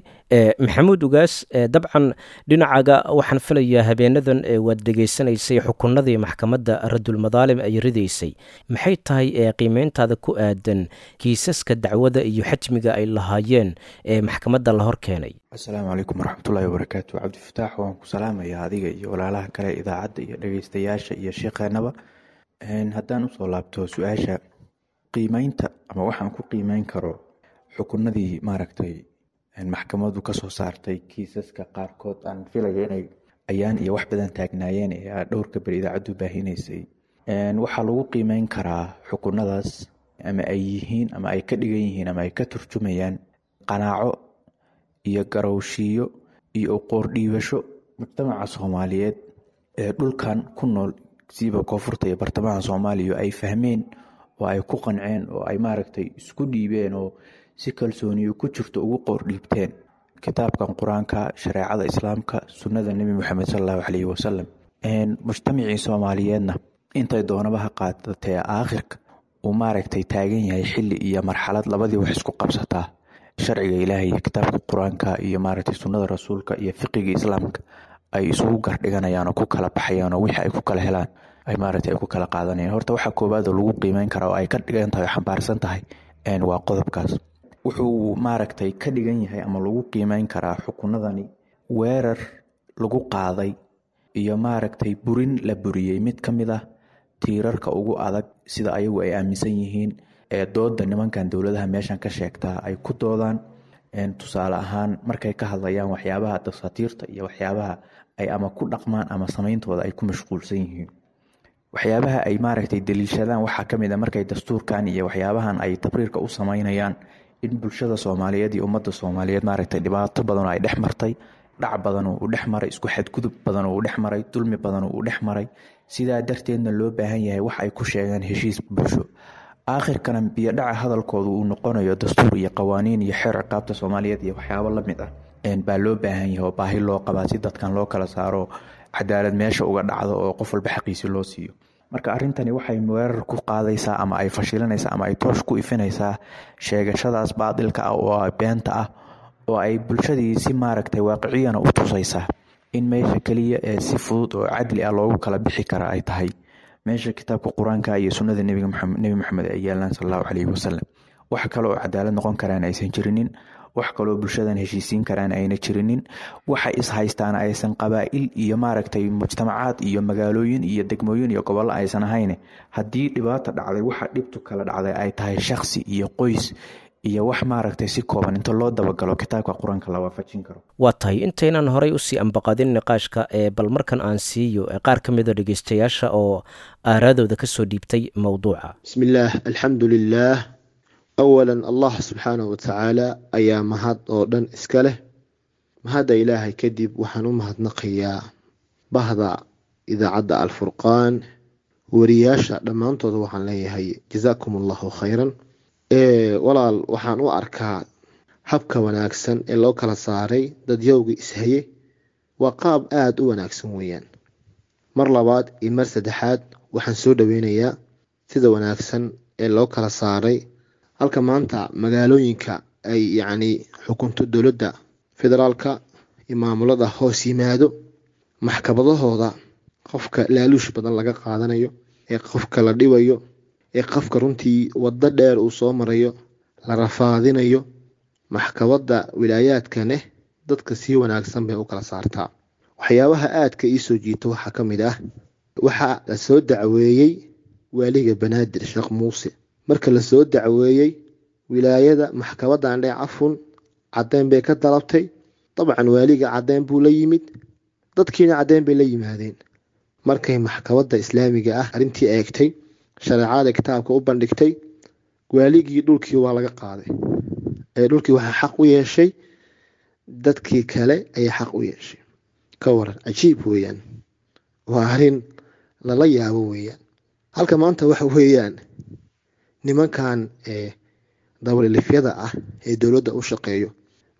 Maxamuud Ugaas, dabcan dhinacaga waxaan filayaa habeenadan waad dhegaysanaysay xukunadii maxkamadda Radulmadaalim ay ridaysay. Maxay tahay qiimeyntaada ku aadan kiisaska dacwada iyo xajmiga ay lahaayeen ee maxkamadda la hor keenay?
Asalaamu calaykum waraxmatullaahi wabarakaatu. Cabdifataax, waan ku salaamayaa adiga iyo walaalaha kale idaacadda iyo dhegeystayaasha iyo sheekheenaba. Haddaan usoo laabto su-aasha qiimeynta ama waxaan ku qiimeyn karo xukunadii maaragtay maxkamadu kasoo saartay kiisaska qaarkood aan filayo inay ayaan iyo wax badan taagnaayeen ee dhowrka beri idaacaddu baahinaysay, waxaa lagu qiimeyn karaa xukunadaas ama ay yihiin ama ay ka dhigan yihiin ama ay ka turjumayaan qanaaco iyo garowshiyo iyo qoordhiibasho mujtamaca Soomaaliyeed ee dhulkan ku nool, siiba koonfurta iyo bartamaha Soomaaliya, ay fahmeen oo ay ku qanceen oo ay maaragtay isku dhiibeen oo si kalsooniyo ku jirto ugu qoordhiibteen kitaabkan Qur-aanka, shareecada islaamka, sunnada Nebi Moxamed sal allahu caleyhi wasalam. Mujtamacii Soomaaliyeedna intay doonaba ha qaadatee aakhirka uu maaragtay taagan yahay xilli iyo marxalad labadii wax isku qabsataa sharciga Ilaahay iyo kitaabka Qur-aanka iyo maaragtay sunnada rasuulka iyo fiqiga islaamka ay isugu gardhiganayaan oo ku kala baxayaan oo wixii ay ku kala helaan ay maaragtay ay ku kala qaadanayaan. Horta waxaa koowaad oo lagu qiimeyn karaa oo ay ka dhigan tahay oo xambaarsan tahay waa qodobkaas. Wuxuu maaragtay ka dhigan yahay ama lagu qiimeyn karaa xukunadani weerar lagu qaaday iyo maaragtay burin la buriyey mid ka mid ah tiirarka ugu adag sida ayagu ay aaminsan yihiin ee dooda nimankan dowladaha meeshan ka sheegtaa ay ku doodaan. Tusaale ahaan, markay ka hadlayaan waxyaabaha dasaatiirta iyo waxyaabaha ay ama ku dhaqmaan ama sameyntooda ay ku mashquulsan yihiin, waxyaabaha ay maaragtay daliishadaan waxaa kamid a markay dastuurkan iyo waxyaabahan ay tabriirka u sameynayaan in bulshada Soomaaliyeed iyo ummadda Soomaaliyeed maaragtay dhibaato badan oo ay dhex martay, dhac badan oo uu dhex maray, isku xadgudub badan oo uu dhex maray, dulmi badan oo uu dhex maray. Sidaa darteedna loo baahan yahay wax ay ku sheegaan heshiis bulsho. Aakhirkana biyodhaca hadalkoodu uu noqonayo dastuur iyo qawaaniin iyo xeer ciqaabta Soomaaliyeed iyo waxyaabo la mid ah baa loo baahan yahay oo baahi loo qabaa si dadkan loo kala saaro, cadaalad meesha uga dhacdo oo qof walba xaqiisi loo siiyo. Marka arrintani waxay weerar ku qaadaysaa ama ay fashilinaysaa ama ay toosh ku ifinaysaa sheegashadaas baadilka ah oo beenta ah, oo ay bulshadii si maaragtay waaqiciyana u tusaysaa in meesha keliya ee si fudud oo cadli ah loogu kala bixi kara ay tahay meesha kitaabka Qur-aanka iyo sunnada nebiga, Nebi Maxamed, ay yaalaan sal Allahu caleyhi wasalam. Wax kale oo cadaalad noqon karaan aysan jirinin, wax kaloo bulshadan heshiisiin karaan ayna jirinin, waxa is-haystaana aysan qabaa'il iyo maaragtay mujtamacaad iyo magaalooyin iyo degmooyin iyo gobollo aysan ahayn. Haddii dhibaata dhacday, waxa dhibtu kala dhacday ay tahay shakhsi iyo qoys iyo wax maaragtay si kooban inta loo dabagalo kitaabka Qur-aanka la waafajin karo.
Waa tahay, intaynaan horay usii ambaqadin niqaashka ee bal markan aan siiyo qaar ka mida dhegeystayaasha oo aaraadooda kasoo dhiibtay mowduuca.
Bismillaah, alxamdu lilaah. Awalan, Allah subxaanahu watacaala ayaa mahad oo dhan iska leh. Mahadda Ilaahay kadib, waxaan u mahadnaqayaa bahda idaacadda Alfurqaan, wariyaasha dhammaantooda. Waxaan leeyahay jazaakum Allahu khayran. Walaal, waxaan u arkaa habka wanaagsan ee loo kala saaray dadyowga ishaye waa qaab aada u wanaagsan weeyaan. Mar labaad iyo mar saddexaad waxaan soo dhaweynayaa sida wanaagsan ee loo kala saaray. Halka maanta magaalooyinka ay yacni xukunto dowladda federaalka iyo maamulada hoos yimaado, maxkamadahooda qofka laaluush badan laga qaadanayo, ee qofka la dhibayo, ee qofka runtii waddo dheer uu soo marayo, la rafaadinayo, maxkamadda wilaayaadkaneh dadka si wanaagsan bay u kala saartaa. Waxyaabaha aadka iisoo jiita waxaa ka mid ah, waxaa la soo dacweeyey waaliga Banaadir Sheekh Muuse. Marka la soo dacweeyey wilaayada, maxkamaddan dhee cafun, caddeyn bay ka dalabtay. Dabcan waaliga caddeyn buu la yimid, dadkiina caddeyn bay la yimaadeen. Markay maxkamadda islaamiga ah arrintii eegtay, shareecada kitaabka u bandhigtay, waaligii dhulkii waa laga qaaday. Ee dhulkii waxaa xaq u yeeshay dadkii kale ayaa xaq u yeeshay. Ka waran? Cajiib weeyaan, waa arrin lala yaabo weeyaan. Halka maanta waxa weeyaan nimankan ee dabalilifyada ah ee dowladda u shaqeeyo,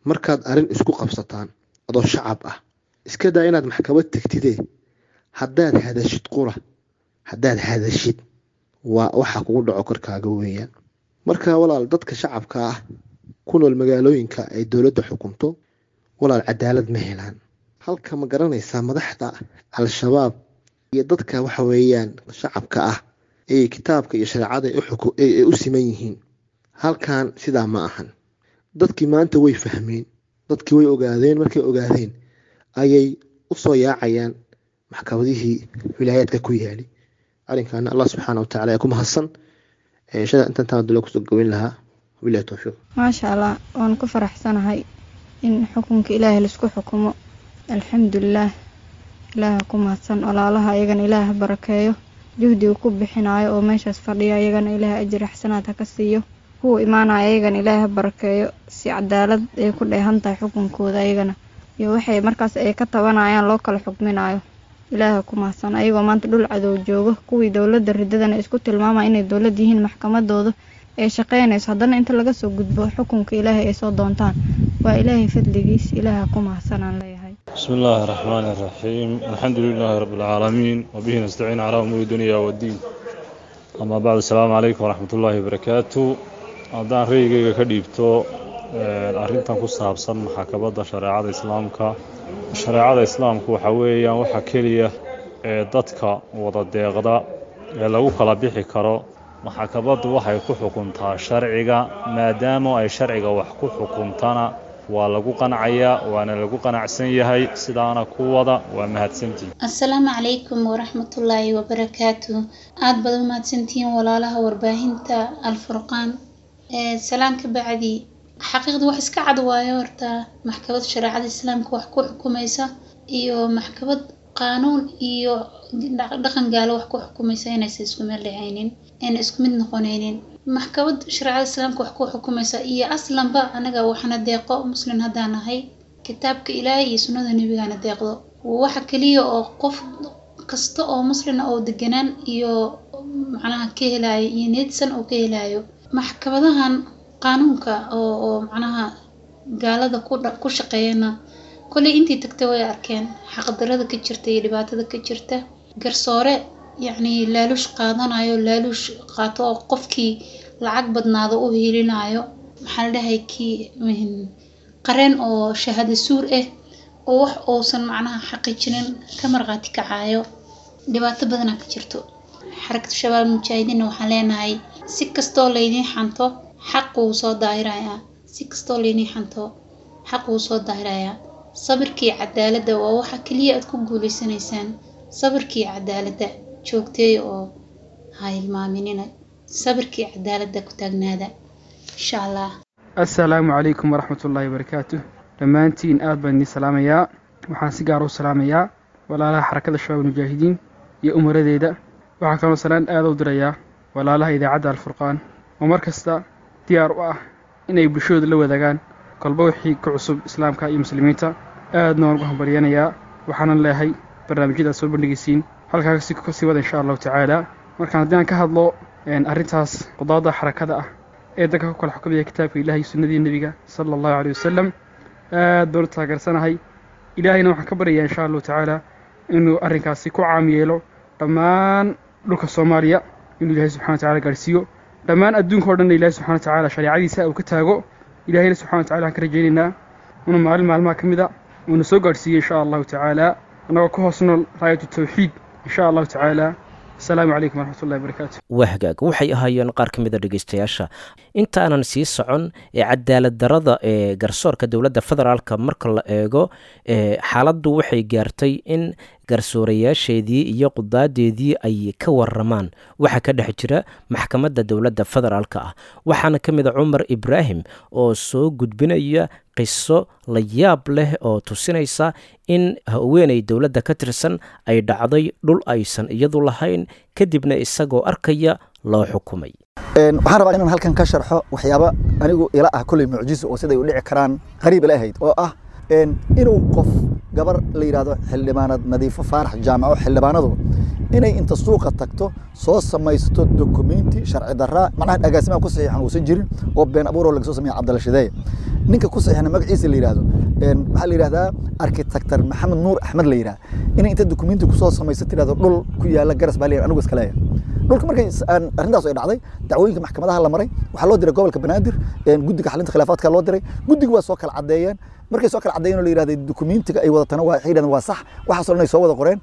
markaad arrin isku qabsataan adoo shacab ah, iska daa inaad maxkamad tegtide, haddaad hadashid qura, haddaad hadashid, waa waxa kugu dhaco korkaaga weeyaan. Marka walaal, dadka shacabka ah ku nool magaalooyinka ay dowladda xukunto, walaal, cadaalad ma helaan. Halka ma garanaysaa madaxda Al-Shabaab iyo dadka waxa weeyaan shacabka ah ee kitaabka iyo shareecada ay u siman yihiin, halkan sidaa ma ahan. Dadkii maanta way fahmeen, dadkii way ogaadeen. Markay ogaadeen ayay usoo yaacayaan maxkamadihii wilaayaadka ku yaali. Arrinkaana Allah subxaana watacala ayaa ku mahadsan. Shada intan dula kusoo goweyn lahaa. Wabilahi towfiiq.
Maasha Allah, waan ku faraxsanahay in xukunka Ilaahay laisku xukumo. Alxamdulilaah, Ilaaha ku mahadsan. Walaalaha ayagana Ilaah barakeeyo juhdiga ku bixinayo oo meeshaas fadhiya, ayagana Ilaah ajir xasanaad ha ka siiyo. Kuwa imaanaya ayagana Ilaah ha barakeeyo, si cadaalad ay ku dheehan tahay xukunkooda ayagana iyo waxay markaas ay ka tabanayaan loo kala xukminayo. Ilaaha ku mahadsan. Ayagoo maanta dhul cadow joogo, kuwii dowladda ridadana isku tilmaamaya inay dowlad yihiin, maxkamadooda ay shaqeynayso, haddana inta laga soo gudbo xukunka Ilaahay ay soo doontaan, waa Ilaahay fadligiis. Ilaaha ku mahadsan aan leeyahay.
بسم الله الرحمن الرحيم، الحمد لله رب العالمين، وبه نستعين على أمور الدنيا والدين، أما بعد، السلام عليكم ورحمة الله وبركاته. Haddaan ra'yigayga ka dhiibto arrintan ku saabsan maxkamadda shareecada islaamka, shareecada islaamku waxa weeyaan waxa keliya ee dadka wada deeqda ee lagu kala bixi karo. Maxkamaddu waxay ku xukuntaa sharciga, maadaama ay sharciga wax ku xukuntana Waa lagu qancayaa, waana lagu qanacsan yahay. Sidaana ku wada, waa mahadsantihin.
Asalaamu calaykum waraxmatullaahi wabarakaatu. Aada baad u mahadsantihiin walaalaha warbaahinta Alfurqaan. Salaan ka bacdi, xaqiiqda wax iska cad waayo horta maxkamad shareecada islaamka wax ku xukumaysa iyo maxkamad qaanuun iyo dhaqan gaalo wax ku xukumaysa inaysan isku meel dhacaynin, ayna isku mid noqonaynin. Maxkamad shareecada islaamka wax ku xukumaysa iyo aslanba anaga waxna deeqo muslim haddaan nahay, kitaabka Ilaahay iyo sunnada nebigana deeqdo. Waxa kaliya oo qof kasta oo muslina oo deganaan iyo macnaha ka helayo iyo niyadsan oo ka helayo maxkamadahan qaanuunka oo oo macnaha gaalada ku ku shaqeeyana, kolley intii tagtay way arkeen xaqdarada ka jirta iyo dhibaatada ka jirta. Garsoore yacni laaluush qaadanayo, laaluush qaato oo qofkii lacag badnaado u hiilinayo, maxaa la dhahay, kii qareen oo shahaado suur ah oo wax uusan macnaha xaqiijinin ka marqaati kacayo, dhibaato badanaa ka jirto. Xarakada Shabaab Mujaahidiinna waxaan leenahay, si kastoo laydiin xanto xaq wuu soo daahirayaa, si kastoo laydiin xanto xaq wuu soo daahirayaa. Sabirkii cadaaladda waa waxa kaliya aad ku guuleysanaysaan. Sabirkii cadaaladda joogteey oo ha hilmaaminina, sabirkii cadaaladda ku taagnaada insha Allah.
Assalaamu calaykum waraxmatullaahi wabarakaatuh. Dhammaantiin aad baan idiin salaamayaa. Waxaan si gaar u salaamayaa walaalaha Xarakada Shabaab Mujaahidiin iyo umaradeeda. Waxaan kaloo salaan aada u dirayaa walaalaha idaacadda Alfurqaan oo mar kasta diyaar u ah inay bulshadooda la wadaagaan kolba wixii ku cusub islaamka iyo muslimiinta. Aadna waan ugu hambalyanayaa, waxaanan leeyahay barnaamijyada aad soo bandhigaysiin halkaa kasi kasii wada insha Allahu tacaala. Markaan haddii aan ka hadlo arrintaas qudaada xarakada ah ee dadka ku kala xukumaya kitaabka Ilahay iyo sunnadii nebiga sala Allahu caleyhi wasalam, aad baan u taageersanahay. Ilaahayna waxaan ka baryayaa insha Allahu tacaala inuu arrinkaasi ku caam yeelo dhammaan dhulka Soomaaliya, inuu Ilaahay subxana wa tacala gaarhsiiyo dhammaan adduunka o dhanna, Ilahay subxana wa tacaala shareecadiisa uu ka taago. Ilahayna subxana wa tacala waxaan ka rajaynaynaa inuu maalin maalmaha ka mid a uuna soo gaadhsiiyo insha Allahu tacaala, annagoo ku hoos nool raayatu tawxiid insha Allahu tacaala. Asalaamu calaykum waraxmatullahi wabarakaatu.
Waa hagaag, waxay ahaayeen qaar ka mid a dhegeystayaasha. Intaanan sii socon ee cadaalad darada ee garsoorka dowladda federaalka marka la eego, xaaladdu waxay gaartay in garsoorayaasheedii iyo qudaadeedii ay ka waramaan waxa ka dhex jira maxkamadda dowladda federaalka ah. Waxaana ka mid a Cumar Ibraahim oo soo gudbinaya qiso la yaab leh oo tusinaysa in haweeney dowladda ka tirsan ay dhacday dhul aysan iyadu lahayn, kadibna isagoo arkaya loo xukumay.
Waxaan rabaa inaan halkan ka sharxo waxyaaba anigu ila ah kulley mucjiso oo siday u dhici karaan qariib ila ahayd, oo ah inuu qof gabar la yidhaahdo xildhibaanad Nadiifo Faarax Jaamaco, xildhibaanadu inay inta suuqa tagto soo samaysato dokumenti sharci darraa, macnaha agaasimaha ku saxiixan uusan jirin, oo been abuur oo laga soo sameeya Cabdalla Shideeye, ninka ku saxiixna magaciisa la yidhaahdo waxaa la yidhahdaa architector Maxamed Nuur Axmed la yidhahda, inay inta dokumenti kusoo samayso tidhahdo dhul ku yaala Garas baa la yidhahda anigu iska leeyahay dhulka. Markay arrintaas ay dhacday, dacwooyinka maxkamadaha la maray, waxaa loo diray gobolka Banaadir, guddiga xalinta khilaafaadka loo diray. Guddiga waa soo kala caddeeyeen. Markay soo kala caddeeyeen oo la yidhahday dukumentiga ay wadatana waa waxay yidhahdeen waa sax, waxaasoo dhan ay soo wada qoreen.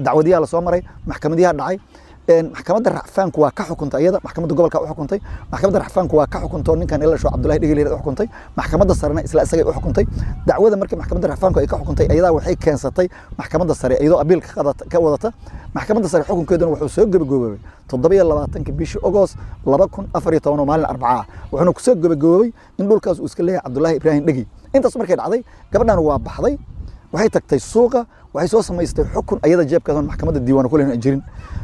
Dacwadiyaha la soo maray, maxkamadiyaha dhacay, maxkamadda racfaanku waa ka xukuntay iyada, maxkamadda gobolka u xukuntay, maxkamadda racfaanku waa ka xukuntay ninkan ila soo Cabdullaahi Dhigil u xukuntay, maxkamadda sarena isla isagay u xukuntay. Dacwada markii maxkamadda racfaanku ay ka xukuntay, iyadaa waxay keensatay maxkamadda sare iyadoo abiil ka wadata. Maxkamadda sare xukunkeeduna wuxuu soo gabagaboobay toddoba iyo labaatanka bishii Ogost laba kun afar iyo toban oo maalin Arbaca ah, wuxuuna kusoo gabagaboobay in dhulkaas uu iska leeyahay Cabdullaahi Ibraahim Dhegi. Intaas markay dhacday, gabadhan waa baxday, waxay tagtay suuqa, waxay soo samaystay xukun ayada jeebkaas maxkamadda diiwaan ku leeyahay jirin,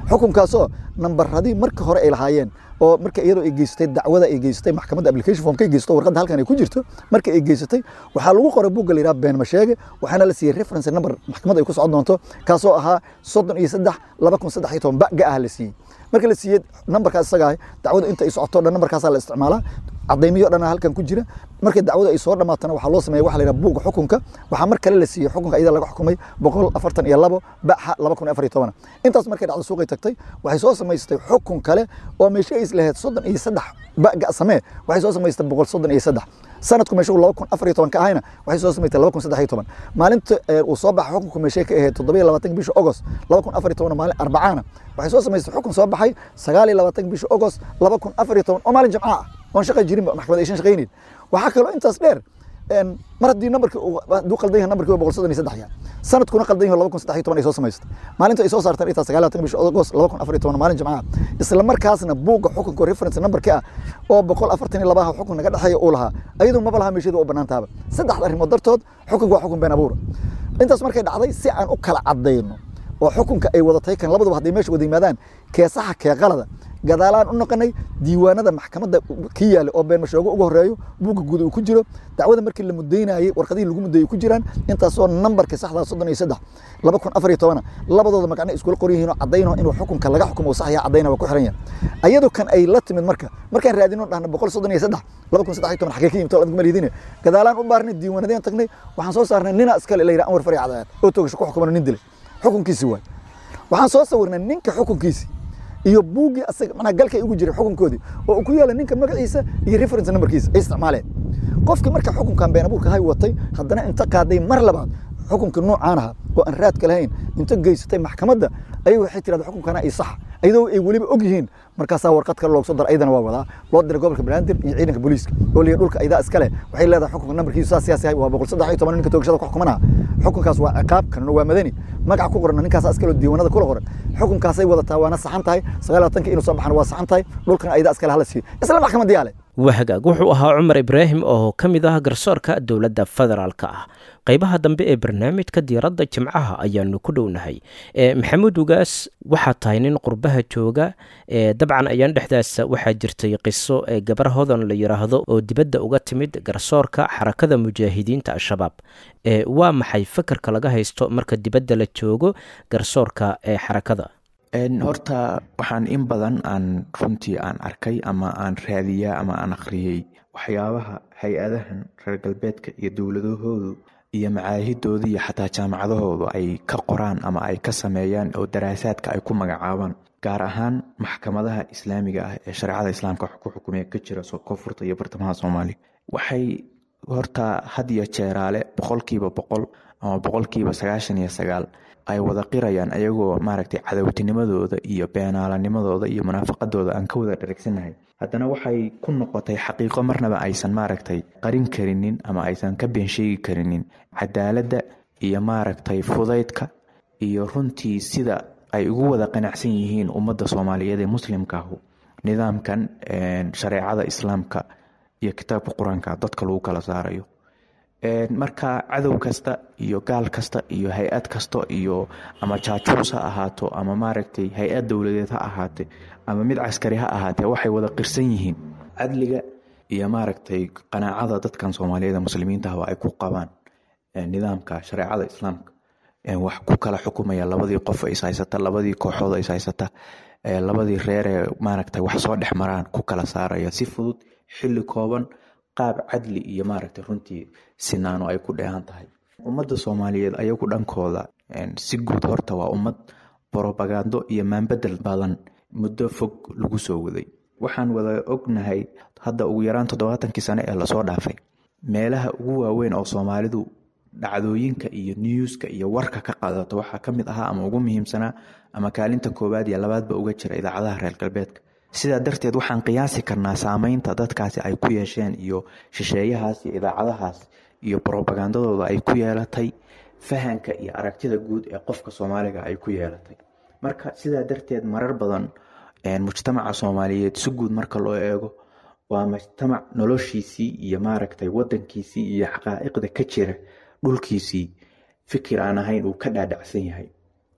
xukunkaasoo nambaradii marka hore ay lahaayeen oo marka iyadoo ay geysatay dacwada ay geysatay maxkamadda application form ka geysato, warqadda halkan ay ku jirto marka ay geysatay, waxaa lagu qoray buugga la yidhaha been masheege, waxaana la siiyey reference number maxkamadda ay ku socon doonto, kaasoo ahaa soddon iyo saddex laba kun saddex iyo toban baga ah la siiyey. Marka la siiyey nambarkaas isaga ah, dacwadu inta ay socoto dhan nambarkaasaa la isticmaalaa, cadaymiyo dhan halkan ku jira. Markay dacwadu ay soo dhamaatana, waxaa loo sameeyay waxa la yidhaha buugga xukunka. Waxaa mar kale la siiyey xukunka iyada laga xukumay boqol afartan iyo labo baxa laba kun afar iyo toban. Intaas markay dhacdo, suuqay tagtay, waxay soo samaystay xukun kale oo meesha ay islahayd soddon iyo saddex baga samee, waxay soo samaystay boqol soddon iyo saddex. Sanadku meesha uu laba kun afar iyo toban ka ahayna, waxay soo samaystay laba kun saddex iyo toban. Maalinta uu soo baxay xukunku meeshay ka ahayd toddoba iyo labaatanka bisha Ogost laba kun afar iyo toban, maalin Arbacaana, waxay soo samaystay xukun soo baxay sagaal iyo labaatanka bisha Ogost laba kun afar iyo toban oo maalin Jimca ah oon shaqa jirin, maxkamad aysan shaqaynin. Waxaa kaloo intaas dheer, Mar haddii nambarkii hadduu qaldan yahay, nambarkii waa boqol soddon iyo saddex yahay, sanadkuna qaldan yahay, laba kun saddex iyo toban ay soo samaystay, maalinta ay soo saarteen intaa sagaal iyo labaatan bisha August laba kun afar iyo toban, maalin Jimcaha, isla markaasna buugga xukunka reference nambarkii ah oo boqol afartan iyo labaha xukun naga dhexeeya uu lahaa, ayadoo maba laha meesheedu u bannaan tahaba. Saddexda arrimood dartood xukunka waa xukun been abuura. Intaas markay dhacday, si aan u kala caddayno oo xukunka ay wadatay kan labaduba hadday meesha wada yimaadaan kee saxa kee qalada, gadaalaan u noqonay diiwaanada maxkamadda ki yaala oo been mashoogo ugu horeeyo, buugga guud uu ku jiro, dacwada markii la mudaynayay warqadihii lagu mudeeyay ku jiraan, intaasoo nambarka saxda soddon iyo saddex laba kun afar iyo toban, labadooda magacna iskula qoran yihiin oo caddayno inuu xukunka laga xukumo uu sax yahay, caddayna waa ku xiran yahay. Ayadoo kan ay la timid marka markaan raadino dhahna boqol soddon iyo saddex laba kun saddex iyo toban xagee ka yimid adigu ma liidine, gadaalaan u baarnay, diiwaanadeen tagnay, waxaan soo saarnay nina iskale la yidhaha Anwar Fari Cadceed oo toogasho ku xukumano, nin dilay xukunkiisi waay. Waxaan soo sawirnay ninka xukunkiisi iyo buuggii asaga macnaha galka ay ugu jiray xukunkoodii oo uu ku yaala ninka magaciisa iyo reference numberkiisa ay isticmaaleen. Qofkii marka xukunkan been abuurka hay watay haddana inta qaaday mar labaad xukunka noocaan aha oo aan raadka lahayn inta geysatay maxkamadda, ayay waxay tirahdaa xukunkana ay sax, ayadoo ay weliba og yihiin. Markaasaa warqad kale loogu soo daray, ayadana waa wadaa loo diray gobolka Banaadir iyo ciidanka booliiska oo leeyahay dhulka aydaa iskale waxay leedahay xukunka nambarkiisu saas siyaas yahay, waa boqol saddex iyo toban, ninka toogashada ku xukumanaha, xukunkaas waa ciqaab, kanuna waa madani, magaca ku qoran ninkaas iskale oo diiwaanada kula qoran, xukunkaasay wadataa waana saxan tahay, sagaal iyo labaatanka inuu soo baxana waa saxan tahay, dhulkana aydaa iskale hala siiyo isla maxkamadii yaale.
Wahagaag, wuxuu ahaa Cumar Ibraahim oo ka mid ah garsoorka dowladda federaalka ah. Qaybaha dambe ee barnaamijka diiradda Jimcaha ayaanu ku dhownahay. Maxamuud Ugaas, waxaa tahay nin qurbaha jooga. Dabcan ayaan dhexdaas waxaa jirtay qiso ee gabar Hodan la yidhaahdo oo dibadda uga timid garsoorka Xarakada Mujaahidiinta Al-Shabaab. Waa maxay fakarka laga haysto marka dibadda la joogo garsoorka ee xarakada?
Horta waxaan in badan aan runtii aan arkay ama aan raadiyaa ama aan akhriyey waxyaabaha hay-adahan reer galbeedka iyo dowladahoodu iyo macaahidooda iyo xataa jaamacadahoodu ay ka qoraan ama ay ka sameeyaan oo daraasaadka ay ku magacaabaan, gaar ahaan maxkamadaha islaamiga ah ee shareecada islaamka wax ku xukumaya ka jira koonfurta iyo bartamaha Soomaaliya. Waxay horta had iyo jeeraale boqolkiiba boqol ama boqolkiiba sagaashan iyo sagaal ay wada qirayaan, ayagoo maaragtay cadowtinimadooda iyo beenaalanimadooda iyo munaafaqadooda aan ka wada dharagsanahay, haddana waxay ku noqotay xaqiiqo marnaba aysan maaragtay qarin karinin ama aysan ka been sheegi karinin cadaaladda iyo maaragtay fudaydka iyo runtii sida ay ugu wada qanacsan yihiin ummadda Soomaaliyeed ee muslimkaahu nidaamkan shareecada islaamka iyo kitaabka qur-aanka dadka lagu kala saarayo. Marka cadow kasta iyo gaal kasta iyo hay-ad kasta iyo ama jaajuus ha ahaato ama maaragtay hay-ad dowladeed ha ahaate ama mid caskari ha ahaatee, waxay wada qirsan yihiin cadliga iyo maaragtay qanaacada dadkan Soomaaliyeed ee muslimiinta ah ay ku qabaan nidaamka shareecada islaamka wax ku kala xukumaya labadii qof is haysata, labadii kooxood is haysata, labadii reer ee maaragtay wax soo dhex maraan ku kala saaraya si fudud, xilli kooban, qaab cadli iyo maaragtay runtii sinaano ay ku dheehan tahay. Ummadda Soomaaliyeed ayagu dhankooda si guud horta waa ummad borobagando iyo maanbedel badan muddo fog lagu soo waday. Waxaan wada ognahay hadda ugu yaraan toddobaatankii sano ee lasoo dhaafay meelaha ugu waaweyn oo Soomaalidu dhacdooyinka iyo newska iyo warka ka qaadato waxaa ka mid ahaa ama ugu muhiimsanaa ama kaalinta koowaad iyo labaadba uga jira idaacadaha reer galbeedka. Sidaa darteed waxaan qiyaasi karnaa saameynta dadkaasi ay ku yeesheen iyo shisheeyahaas iyo idaacadahaas iyo brobagandadooda ay ku yeelatay fahanka iyo aragtida guud ee qofka Soomaaliga ay ku yeelatay. Marka sidaa darteed marar badan mujtamaca Soomaaliyeed si guud marka loo eego waa mujtamac noloshiisii iyo maaragtay wadankiisii iyo xaqaa'iqda ka jira dhulkiisii fikir aan ahayn uu ka dhaadhacsan yahay.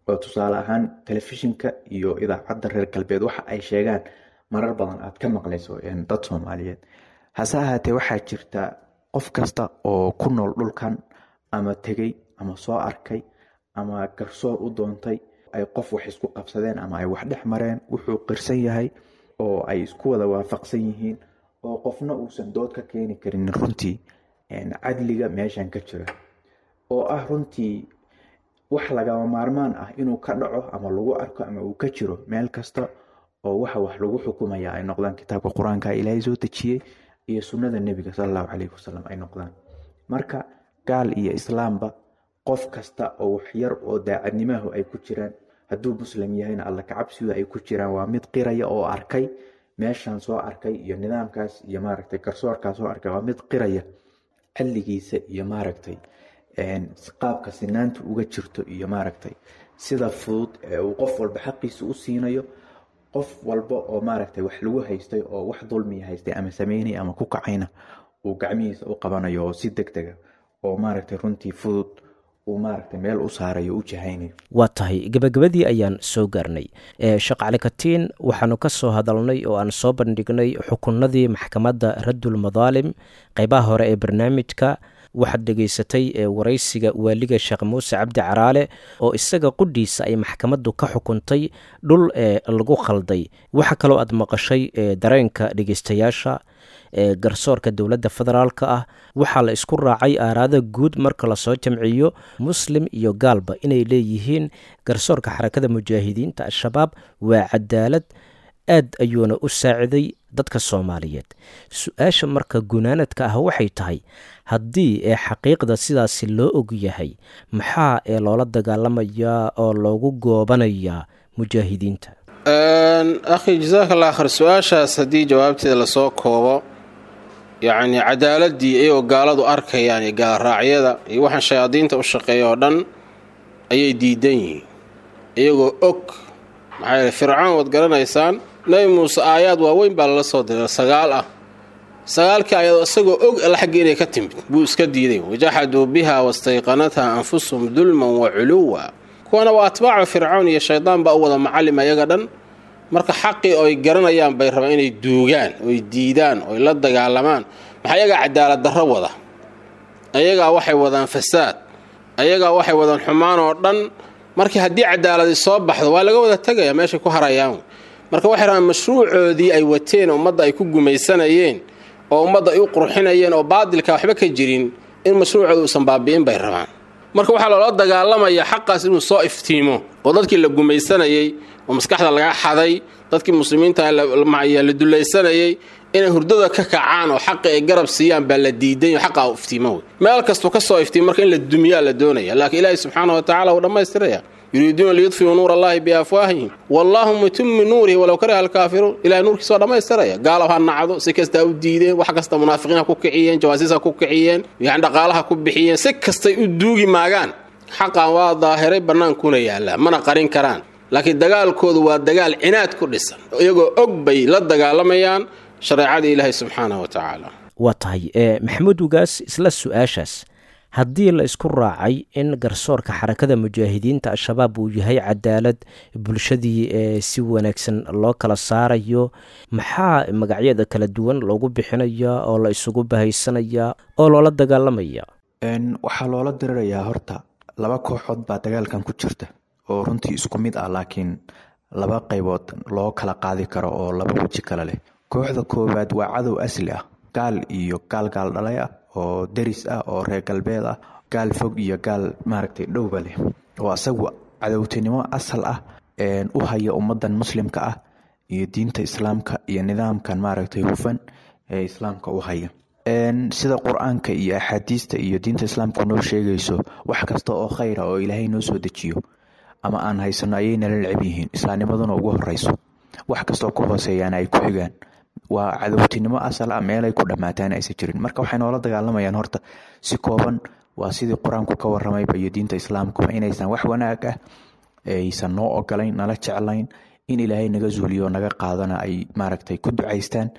Oo tusaale ahaan telefishinka iyo idaacadda reer galbeed waxa ay sheegaan marar badan aad ka maqlayso dad Soomaaliyeed. Hase ahaatee waxaa jirta qof kasta oo ku nool dhulkan ama tegey ama soo arkay ama garsoor u doontay ay qof wax isku qabsadeen ama ay wax dhex mareen, wuxuu qirsan yahay oo ay isku wada waafaqsan yihiin oo qofna uusan dood ka keeni karin runtii cadliga meeshan ka jira oo ah runtii wax lagama maarmaan ah inuu ka dhaco ama lagu arko ama uu ka jiro meel kasta oo waxa wax lagu xukumaya ay noqdaan kitaabka qur-aanka Ilaahay soo dejiyey iyo sunnada nebiga sala allahu calayhi wasalam ay noqdaan. Marka gaal iyo islaamba qof kasta oo wax yar oo daacadnimahu ay ku jiraan, hadduu muslim yahayna alla kacabsigu ay ku jiraan, waa mid qiraya oo arkay meeshan soo arkay iyo nidaamkaas iyo maaragtay garsoorkaas soo arkay, waa mid qiraya Cadligiisa iyo maaragtay qaabka sinaanta uga jirto iyo maaragtay sida fudud ee uu qof walba xaqiisa u siinayo, qof walba oo maaragtay wax lagu haystay oo wax dulmiya haystay ama sameynaya ama ku kacayna uu gacmihiisa u qabanayo oo si deg dega oo maaragtay runtii fudud uu maaragtay meel u saarayo u jahaynayo.
Waa tahay, gebagabadii ayaan soo gaarnay. Sheekh Cali Katiin, waxaanu ka soo hadalnay oo aan soo bandhignay xukunadii maxkamadda Raddul Madaalim qeybaha hore ee barnaamijka. Waxaad dhegaysatay waraysiga waaliga Sheekh Muuse Cabdi Caraale oo isaga qudhiisa ay maxkamaddu ka xukuntay dhul ee lagu khalday. Waxaa kaloo aad maqashay dareenka dhegeystayaasha ee garsoorka dowladda federaalka ah. Waxaa la isku raacay aaraada guud marka lasoo jamciyo muslim iyo gaalba inay leeyihiin garsoorka Xarakada Mujaahidiinta Al-Shabaab waa cadaalad, aad ayuuna u saaciday dadka Soomaaliyeed. Su-aasha marka gunaanadka ah waxay tahay, haddii ee xaqiiqda sidaasi loo og yahay, maxaa ee loola dagaalamayaa oo loogu goobanayaa mujaahidiinta?
Akhi, jasaaka allah khayr. Su-aashaas haddii jawaabteeda lasoo koobo, yacni cadaaladii iyagoo gaaladu arkayaan iyo gaalraacyada iyo waxaan shayaadiinta u shaqeeya oo dhan ayay diidan yihiin iyagoo og. Maxaa yeele, Fircoon waad garanaysaan, Nebi Muuse aayaad waaweyn baa lala soo diray, sagaal ah. Sagaalkii aayaad isagoo og alla xaggii inay ka timid buu iska diiday. Wajaxaduu biha wastayqanatha anfusuhum dulman wa culuwa. Kuwana waa atbaacu Fircoon iyo shaydaan baa u wada macallim ayaga dhan. Marka xaqii oy garanayaan bay rabaan inay duugaan oy diidaan oy la dagaalamaan. Maxaa ayagaa cadaalad darro wada, ayagaa waxay wadaan fasaad, ayagaa waxay wadaan xumaan oo dhan. Markii haddii cadaaladi soo baxdo waa laga wada tegaya, meeshay ku harayaan. Marka waxay rabaan mashruucoodii ay wateen, ummadda ay ku gumaysanayeen oo ummadda ay u qurxinayeen oo baadilka waxba ka jirin, in mashruucooda uusan baabi'in bay rabaan. Marka waxaa loola dagaalamaya xaqaas inuu soo iftiimo oo dadkii la gumaysanayey oo maskaxda laga xaday, dadkii muslimiinta la dulaysanayey, inay hurdada ka kacaan oo xaqi ay garab siiyaan baa la diiday. Xaqa u iftiimo wey meel kastuu ka soo iftiimo, marka in la dumiyaa la doonaya. Laakiin Ilaahi subxaana wa tacala wuu dhammaystiraya. Yuriiduuna liyudfiuu nuur allahi biafwaahihim wallaahu mutimu nuurihi walow kariha alkaafiruun. Ilahay nuurkiisa waa dhammaystiraya. Gaalow ha nacdo, si kasta ha u diideen, wax kasta munaafiqiin ha ku kiciyeen, jawaasiis ha ku kiciyeen, yani dhaqaalaha ku bixiyeen, si kastay u duugi maagaan, xaqan waa daahiray, bannaankuna yaallaa, mana qarin karaan. Laakiin dagaalkoodu waa dagaal cinaad ku dhisan, iyagoo og bay la dagaalamayaan shareecadii Ilaahay subxaanahu wa tacaala.
Waa tahay, Maxamuud Ugaas, isla su-aashaas, haddii la isku raacay in garsoorka Xarakada Mujaahidiinta Al-Shabaab uu yahay cadaalad, bulshadii ee si wanaagsan loo kala saarayo, maxaa magacyada kala duwan loogu bixinaya oo la isugu bahaysanaya oo loola dagaalamaya?
Waxaa loola dirirayaa horta laba kooxood baa dagaalkan ku jirta oo runtii isku mid ah, laakiin laba qaybood loo kala qaadi karo oo laba weji kale leh. Kooxda koowaad waa cadow asli ah, gaal iyo gaal gaal dhalay ah oo deris ah oo reer galbeed ah, gaal fog iyo gaal maaragtay dhowba leh, oo asagu cadowtinimo asal ah u haya ummadan muslimka ah iyo diinta islaamka iyo nidaamkan maaragtay hufan ee islaamka u haya. Sida Qur-aanka iyo axaadiista iyo diinta islaamka noo sheegayso, wax kasta oo khayra oo Ilaahay noo soo dejiyo ama aan haysano ayay nala necab yihiin, islaamnimaduna ugu horeyso, wax kastoo ku hooseeyaana ay ku xigaan. Waa cadowtinimo asal ah, meelay ku dhammaataan aysan jirin. Marka waxay noola dagaalamayaan horta si kooban waa sidii Qur-aanku ka waramayba iyo diinta islaamkuba, inaysan wax wanaag ah aysan noo ogolayn, nala jeclayn, in Ilaahay naga zuuliyo naga qaadana ay maaragtay ku ducaystaan.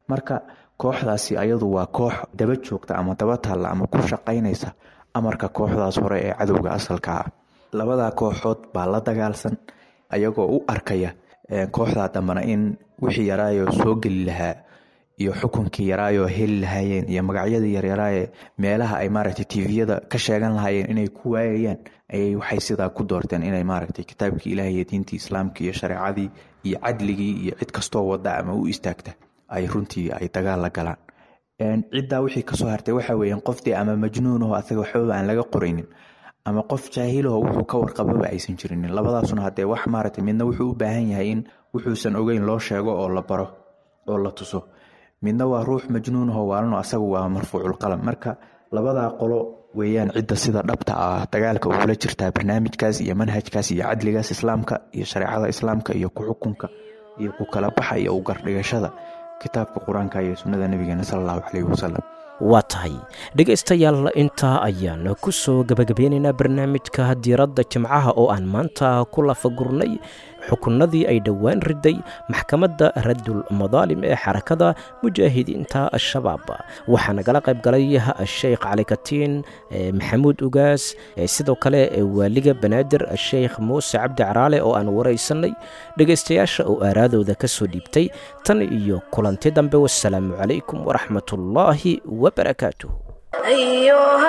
Marka kooxdaasi ayadu waa koox daba joogta ama daba taalla ama ku shaqaynaysa amarka kooxdaas hore ee cadowga asalka ah. Labadaa kooxood baa la dagaalsan, ayagoo u arkaya kooxdaa dambana in wixii yaraayoo soo geli lahaa iyo xukunkii yaraayoo heli lahaayeen iyo magacyadii yaryaraaye meelaha ay maaragtay tviyada ka sheegan lahaayeen inay ku waayayaan, ayay waxay sidaa ku doorteen inay maaragtay kitaabkii Ilaah iyo diintii islaamka iyo shareecadii iyo cadligii iyo cid kastoo wada ama u istaagta ay runtii ay dagaal la galaan. Ciddaa wixii kasoo hartay waxa weeyaan qofdii ama majnuun oo asaga waxbaba aan laga qoraynin, ama qof jaahilaho wuxuu ka warqababa aysan jirinin. Labadaasuna haddee wax maaragtay midna wuxuu u baahan yahay in wuxuusan ogeyn loo sheego oo la baro oo la tuso, midna waa ruux majnuunahoo waalano, asagu waa marfuuculqalam. Marka labadaa qolo weeyaan cidda sida dhabta ah dagaalka ugula jirtaa barnaamijkaas iyo manhajkaas iyo cadligaas islaamka iyo shareecada islaamka iyo ku xukunka iyo ku kala baxa iyo u gardhigashada kitaabka Qur-aanka iyo sunnada nabigeena sala allahu caleyhi wasalam.
Waa tahay dhegaystayaal, intaa ayaan ku soo gebagabeynaynaa barnaamijka diiradda jimcaha oo aan maanta ku lafagurnay xukunnadii ay dhowaan riday maxkamadda raddul madaalim ee xarakada mujaahidiinta al-shabaab. Waxaa nagala qayb galay Sheekh Cali Katiin Maxamuud Ugaas, sidoo kale waaliga Banaadir Sheekh Muuse Cabdi Caraale oo aan waraysanay, dhegaystayaasha oo aaraadooda ka soo dhiibtay. Tan iyo kulanti dambe, wasalaamu calaykum waraxmatullaahi wabarakaatuh.
أيها